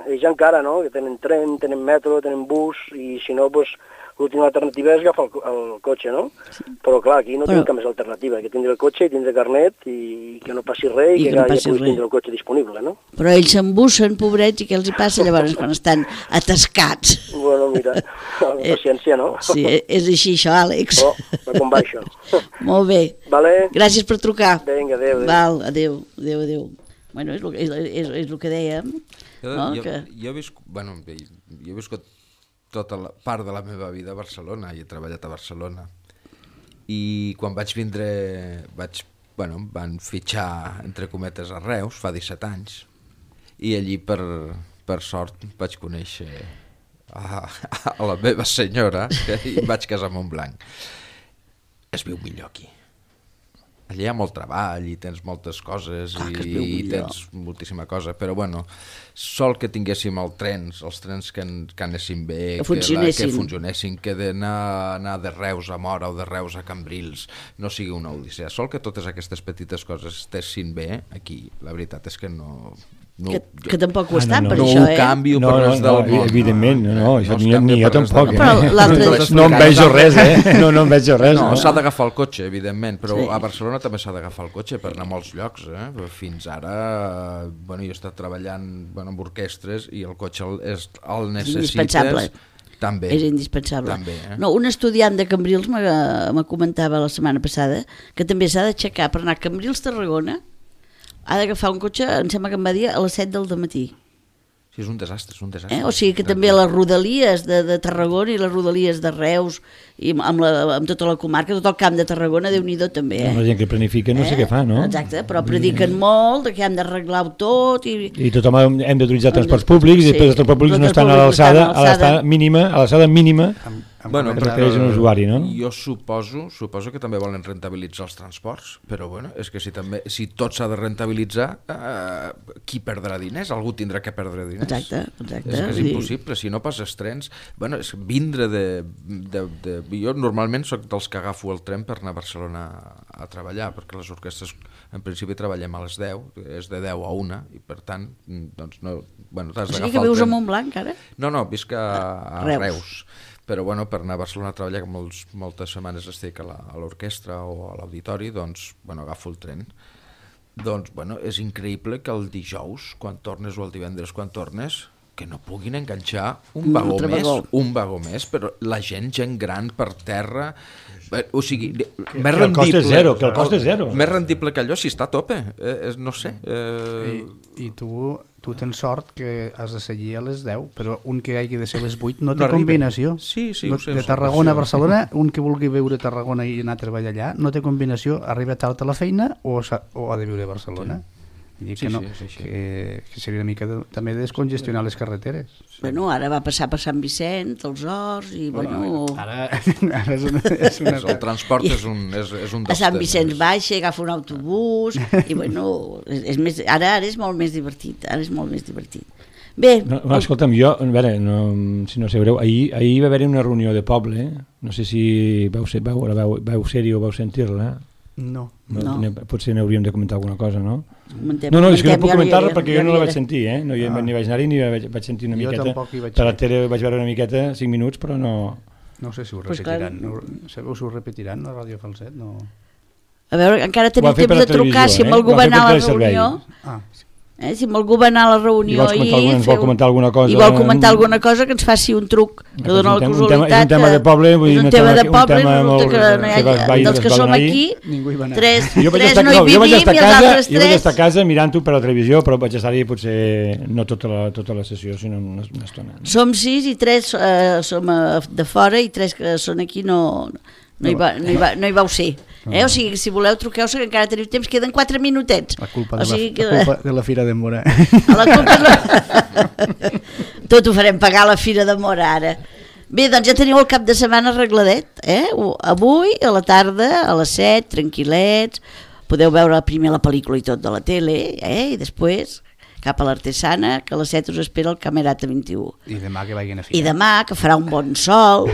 ells encara, no?, que tenen tren, tenen metro, tenen bus, i si no, doncs, l'última alternativa és agafar el cotxe, no? Sí. Però clar, aquí no tenim cap més alternativa, que tindre el cotxe i tindre carnet i que no passi res i que ja puguis tindre el cotxe disponible, no? Però ells s'embussen, pobrets, i què els hi passa llavors quan estan atascats? Bueno, mira, paciència, no? Sí, és així això, Àlex. Com va això? Molt bé. Vale. Gràcies per trucar. Vinga, adéu. Val, adéu. Bueno, és el que dèiem. Jo he viscut tota la part de la meva vida a Barcelona i he treballat a Barcelona i quan vaig vindre van fitxar entre cometes a Reus fa 17 anys i allí per sort vaig conèixer a la meva senyora i em vaig casar amb un blanc. Es viu millor aquí, allà hi ha molt treball i tens moltes coses i tens moltíssima cosa, però bueno, sol que tinguéssim els trens que anessin bé, que funcionessin, que d'anar de Reus a Móra o de Reus a Cambrils no sigui una odissea, sol que totes aquestes petites coses estessin bé aquí, la veritat és que no... Que tampoc ho estan per no això, ho canvio per res del món. Evidentment, això ni jo tampoc. No em veig res, no em veig res. No, s'ha d'agafar el cotxe, evidentment, però a Barcelona també s'ha d'agafar el cotxe per anar a molts llocs. Fins ara, jo he estat treballant amb orquestres i el cotxe el necessites. També. És indispensable. També, No, un estudiant de Cambrils me comentava la setmana passada que també s'ha d'aixecar per anar a Cambrils-Tarragona, ha d'agafar un cotxe, em sembla que em va dir, a les 7 del matí. Sí, és un desastre, O sigui que també les rodalies de Tarragona i les rodalies de Reus i amb tota la comarca, tot el camp de Tarragona, Déu-n'hi-do també. La gent que planifica no sé què fa, no? Exacte, però prediquen molt que hem d'arreglar-ho tot. I tothom hem d'utilitzar transports públics i després els transports públics no estan a l'alçada mínima que requereix un usuari, no? Jo suposo que també volen rentabilitzar els transports, però és que si tot s'ha de rentabilitzar, qui perdrà diners? Algú tindrà que perdre diners. Exacte. És que és impossible, si no passes trens... és vindre jo normalment soc dels que agafo el tren per anar a Barcelona a treballar, perquè les orquestres en principi treballem a les 10, és de 10 a 1, i per tant, doncs no... t'has d'agafar el tren. O sigui que vius a Montblanc, ara? No, visc a Reus. Però per anar a Barcelona a treballar, que moltes setmanes estic a l'orquestra o a l'auditori, doncs agafo el tren. Doncs és increïble que el dijous, quan tornes, o el divendres quan tornes, que no puguin enganxar un vagó més, però la gent gran per terra, o sigui, més rendible. Que el cost és zero. Més rendible que allò si està a tope, no sé. I tu tens sort que has de seguir a les 10, però un que hagi de ser a les 8 no té combinació. Sí, ho sé. De Tarragona a Barcelona, un que vulgui viure a Tarragona i anar a treballar allà, no té combinació, arriba tard a la feina o ha de viure a Barcelona. Sí. Que seria una mica també descongestionar les carreteres. Ara va passar per Sant Vicent, els Horts, i Ara és una... El transport és un dels temes. A Sant Vicent baixa, agafa un autobús, i ara és molt més divertit. Bé... Escolta'm, jo, a veure, si no sabreu, ahir va haver-hi una reunió de poble, no sé si vau ser-hi o vau sentir-la. No. Potser n'hauríem de comentar alguna cosa, no? És que no puc comentar-la perquè jo no la vaig sentir, no ni vaig anar-hi ni vaig sentir una miqueta. Per la tele vaig veure una miqueta, 5 minuts, però no... No sé si ho repetiran. Sabeu si ho repetiran a Ràdio Falset? No. A veure, encara tenim temps de trucar si amb algú va anar a la reunió. Si amb algú va anar a la reunió i vol comentar alguna cosa, que ens faci un truc que dona la casualitat. És un tema de poble, és un tema de poble, dels que som aquí, tres no hi vivim i els altres 3. Jo vaig estar a casa mirant-ho per la televisió, però vaig estar-hi potser no tota la sessió, sinó una estona. Som 6 i 3 som de fora i 3 que són aquí no hi vau ser. O sigui, si voleu truqueu, que encara teniu temps, queden 4 minutets. La culpa de la Fira de Móra. Tot ho farem pagar a la Fira de Móra ara. Bé, doncs ja teniu el cap de setmana arregladet, avui a la tarda a les 7, tranquil·lets, podeu veure primer la pel·lícula i tot de la tele, i després cap a l'Artesana, que a les 7 us espera el Camerata 21. I demà que vagin a Fira. I demà, que farà un bon sol,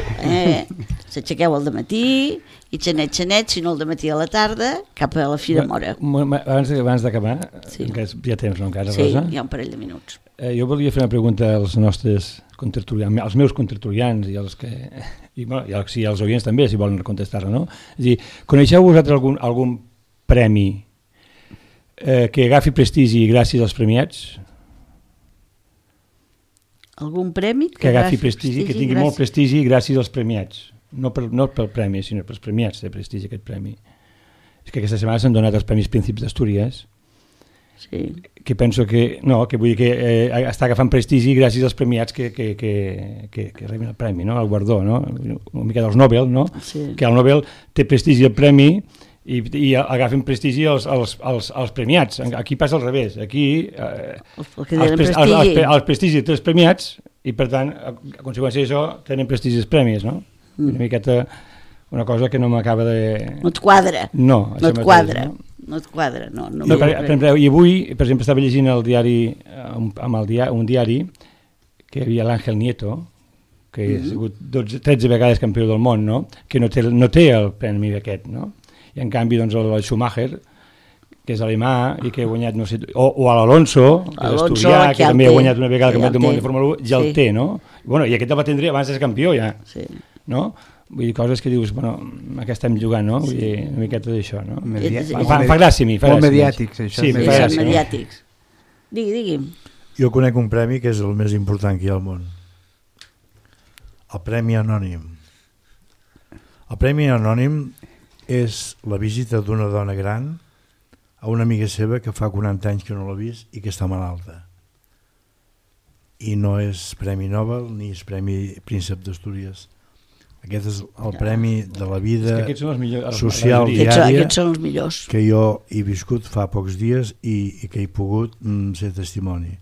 s'aixequeu al dematí, i xanet, si no al dematí a la tarda, cap a la Fira Móra. Abans d'acabar, ja tens, no, encara, Rosa? Sí, hi ha un parell de minuts. Jo volia fer una pregunta als nostres contertulians, als meus contertulians i als oients també, si volen contestar-la, no? És a dir, coneixeu vosaltres algun premi que agafi prestigi gràcies als premiats? Algun premi? Que agafi prestigi, que tingui molt prestigi gràcies als premiats. No pel premi, sinó pels premiats de prestigi, aquest premi. És que aquesta setmana s'han donat els Premis Príncips d'Astúries, que penso que vull dir que està agafant prestigi gràcies als premiats que reben el premi, no? El guardó, no? Una mica dels Nobel, no? Que el Nobel té prestigi el premi i agafen prestigi als premiats. Aquí passa al revés. Aquí el prestigi té els premiats i per tant, a conseqüència d'això, tenen prestigi els premis, no? Una miqueta una cosa que no m'acaba de... No et quadra. No, no et quadra. No et quadra, no. Per exemple, i avui, per exemple, estava llegint el diari, un diari, que hi havia l'Àngel Nieto, que ha sigut 13 vegades campió del món, no? Que no té el premi d'aquest, no? I en canvi, doncs, el Schumacher, que és alemà i que ha guanyat, no sé, o l'Alonso, que és asturià, que també ha guanyat una vegada el campionat del món de Fórmula 1, ja el té, no? Bueno, i aquest el va tindre abans de ser campió, ja, no? Vull dir, coses que dius, bueno, a què estem jugant, no? Vull dir, una miqueta d'això, no? Fa gràcia a mi, fa gràcia. Molt mediàtics, això. Sí, fa gràcia. Mediàtics. Digui. Jo conec un premi que és el més important que hi ha al món. El Premi Anònim. El Premi Anònim és la visita d'una dona gran a una amiga seva que fa 40 anys que no l'ha vist i que està malalta. I no és Premi Nobel ni és Premi Príncep d'Astúries. Aquest és el premi de la vida social diària. Aquests són els millors. Que jo he viscut fa pocs dies i que he pogut ser testimoni.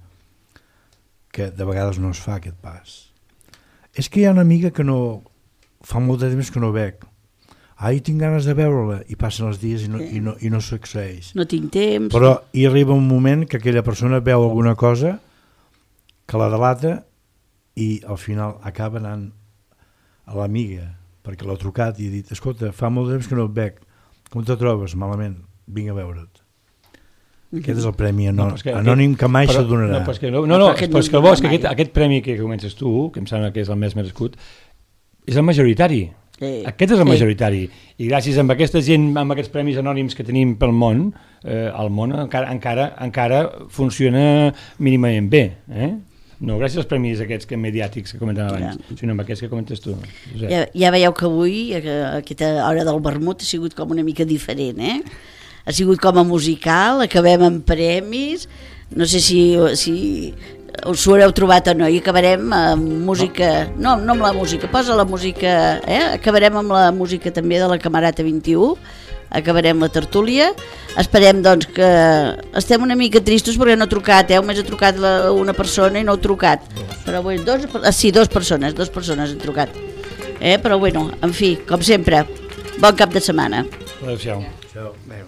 Que de vegades no es fa aquest pas. És que hi ha una amiga que no... Fa molt de temps que no veig. Ai, tinc ganes de veure-la. I passen els dies i no succeeix. No tinc temps. Però hi arriba un moment que aquella persona veu alguna cosa que la delata i al final acaba anant a l'amiga, perquè l'ha trucat i ha dit, escolta, fa molt de temps que no et veig, com te trobes? Malament, vinc a veure't. Aquest és el premi anònim que mai s'adonarà. No, aquest premi que comences tu, que em sembla que és el més merescut, és el majoritari. Aquest és el majoritari. I gràcies a aquesta gent, amb aquests premis anònims que tenim pel món, el món encara funciona mínimament bé, no gràcies als premis aquests mediàtics que comentàvem abans, sinó amb aquests que comentes tu. Ja veieu que avui, aquesta hora del vermut, ha sigut com una mica diferent, Ha sigut com a musical, acabem amb premis, no sé si us ho haureu trobat o no, i acabarem amb música, no amb la música, posa la música, acabarem amb la música també de la Camerata 21, acabarem la tertúlia. Esperem doncs que estem una mica tristos perquè no ha trucat, només ha trucat una persona i no ha trucat, però bé, dues persones han trucat, però bueno, en fi, com sempre, bon cap de setmana. Adéu-siau. Adéu.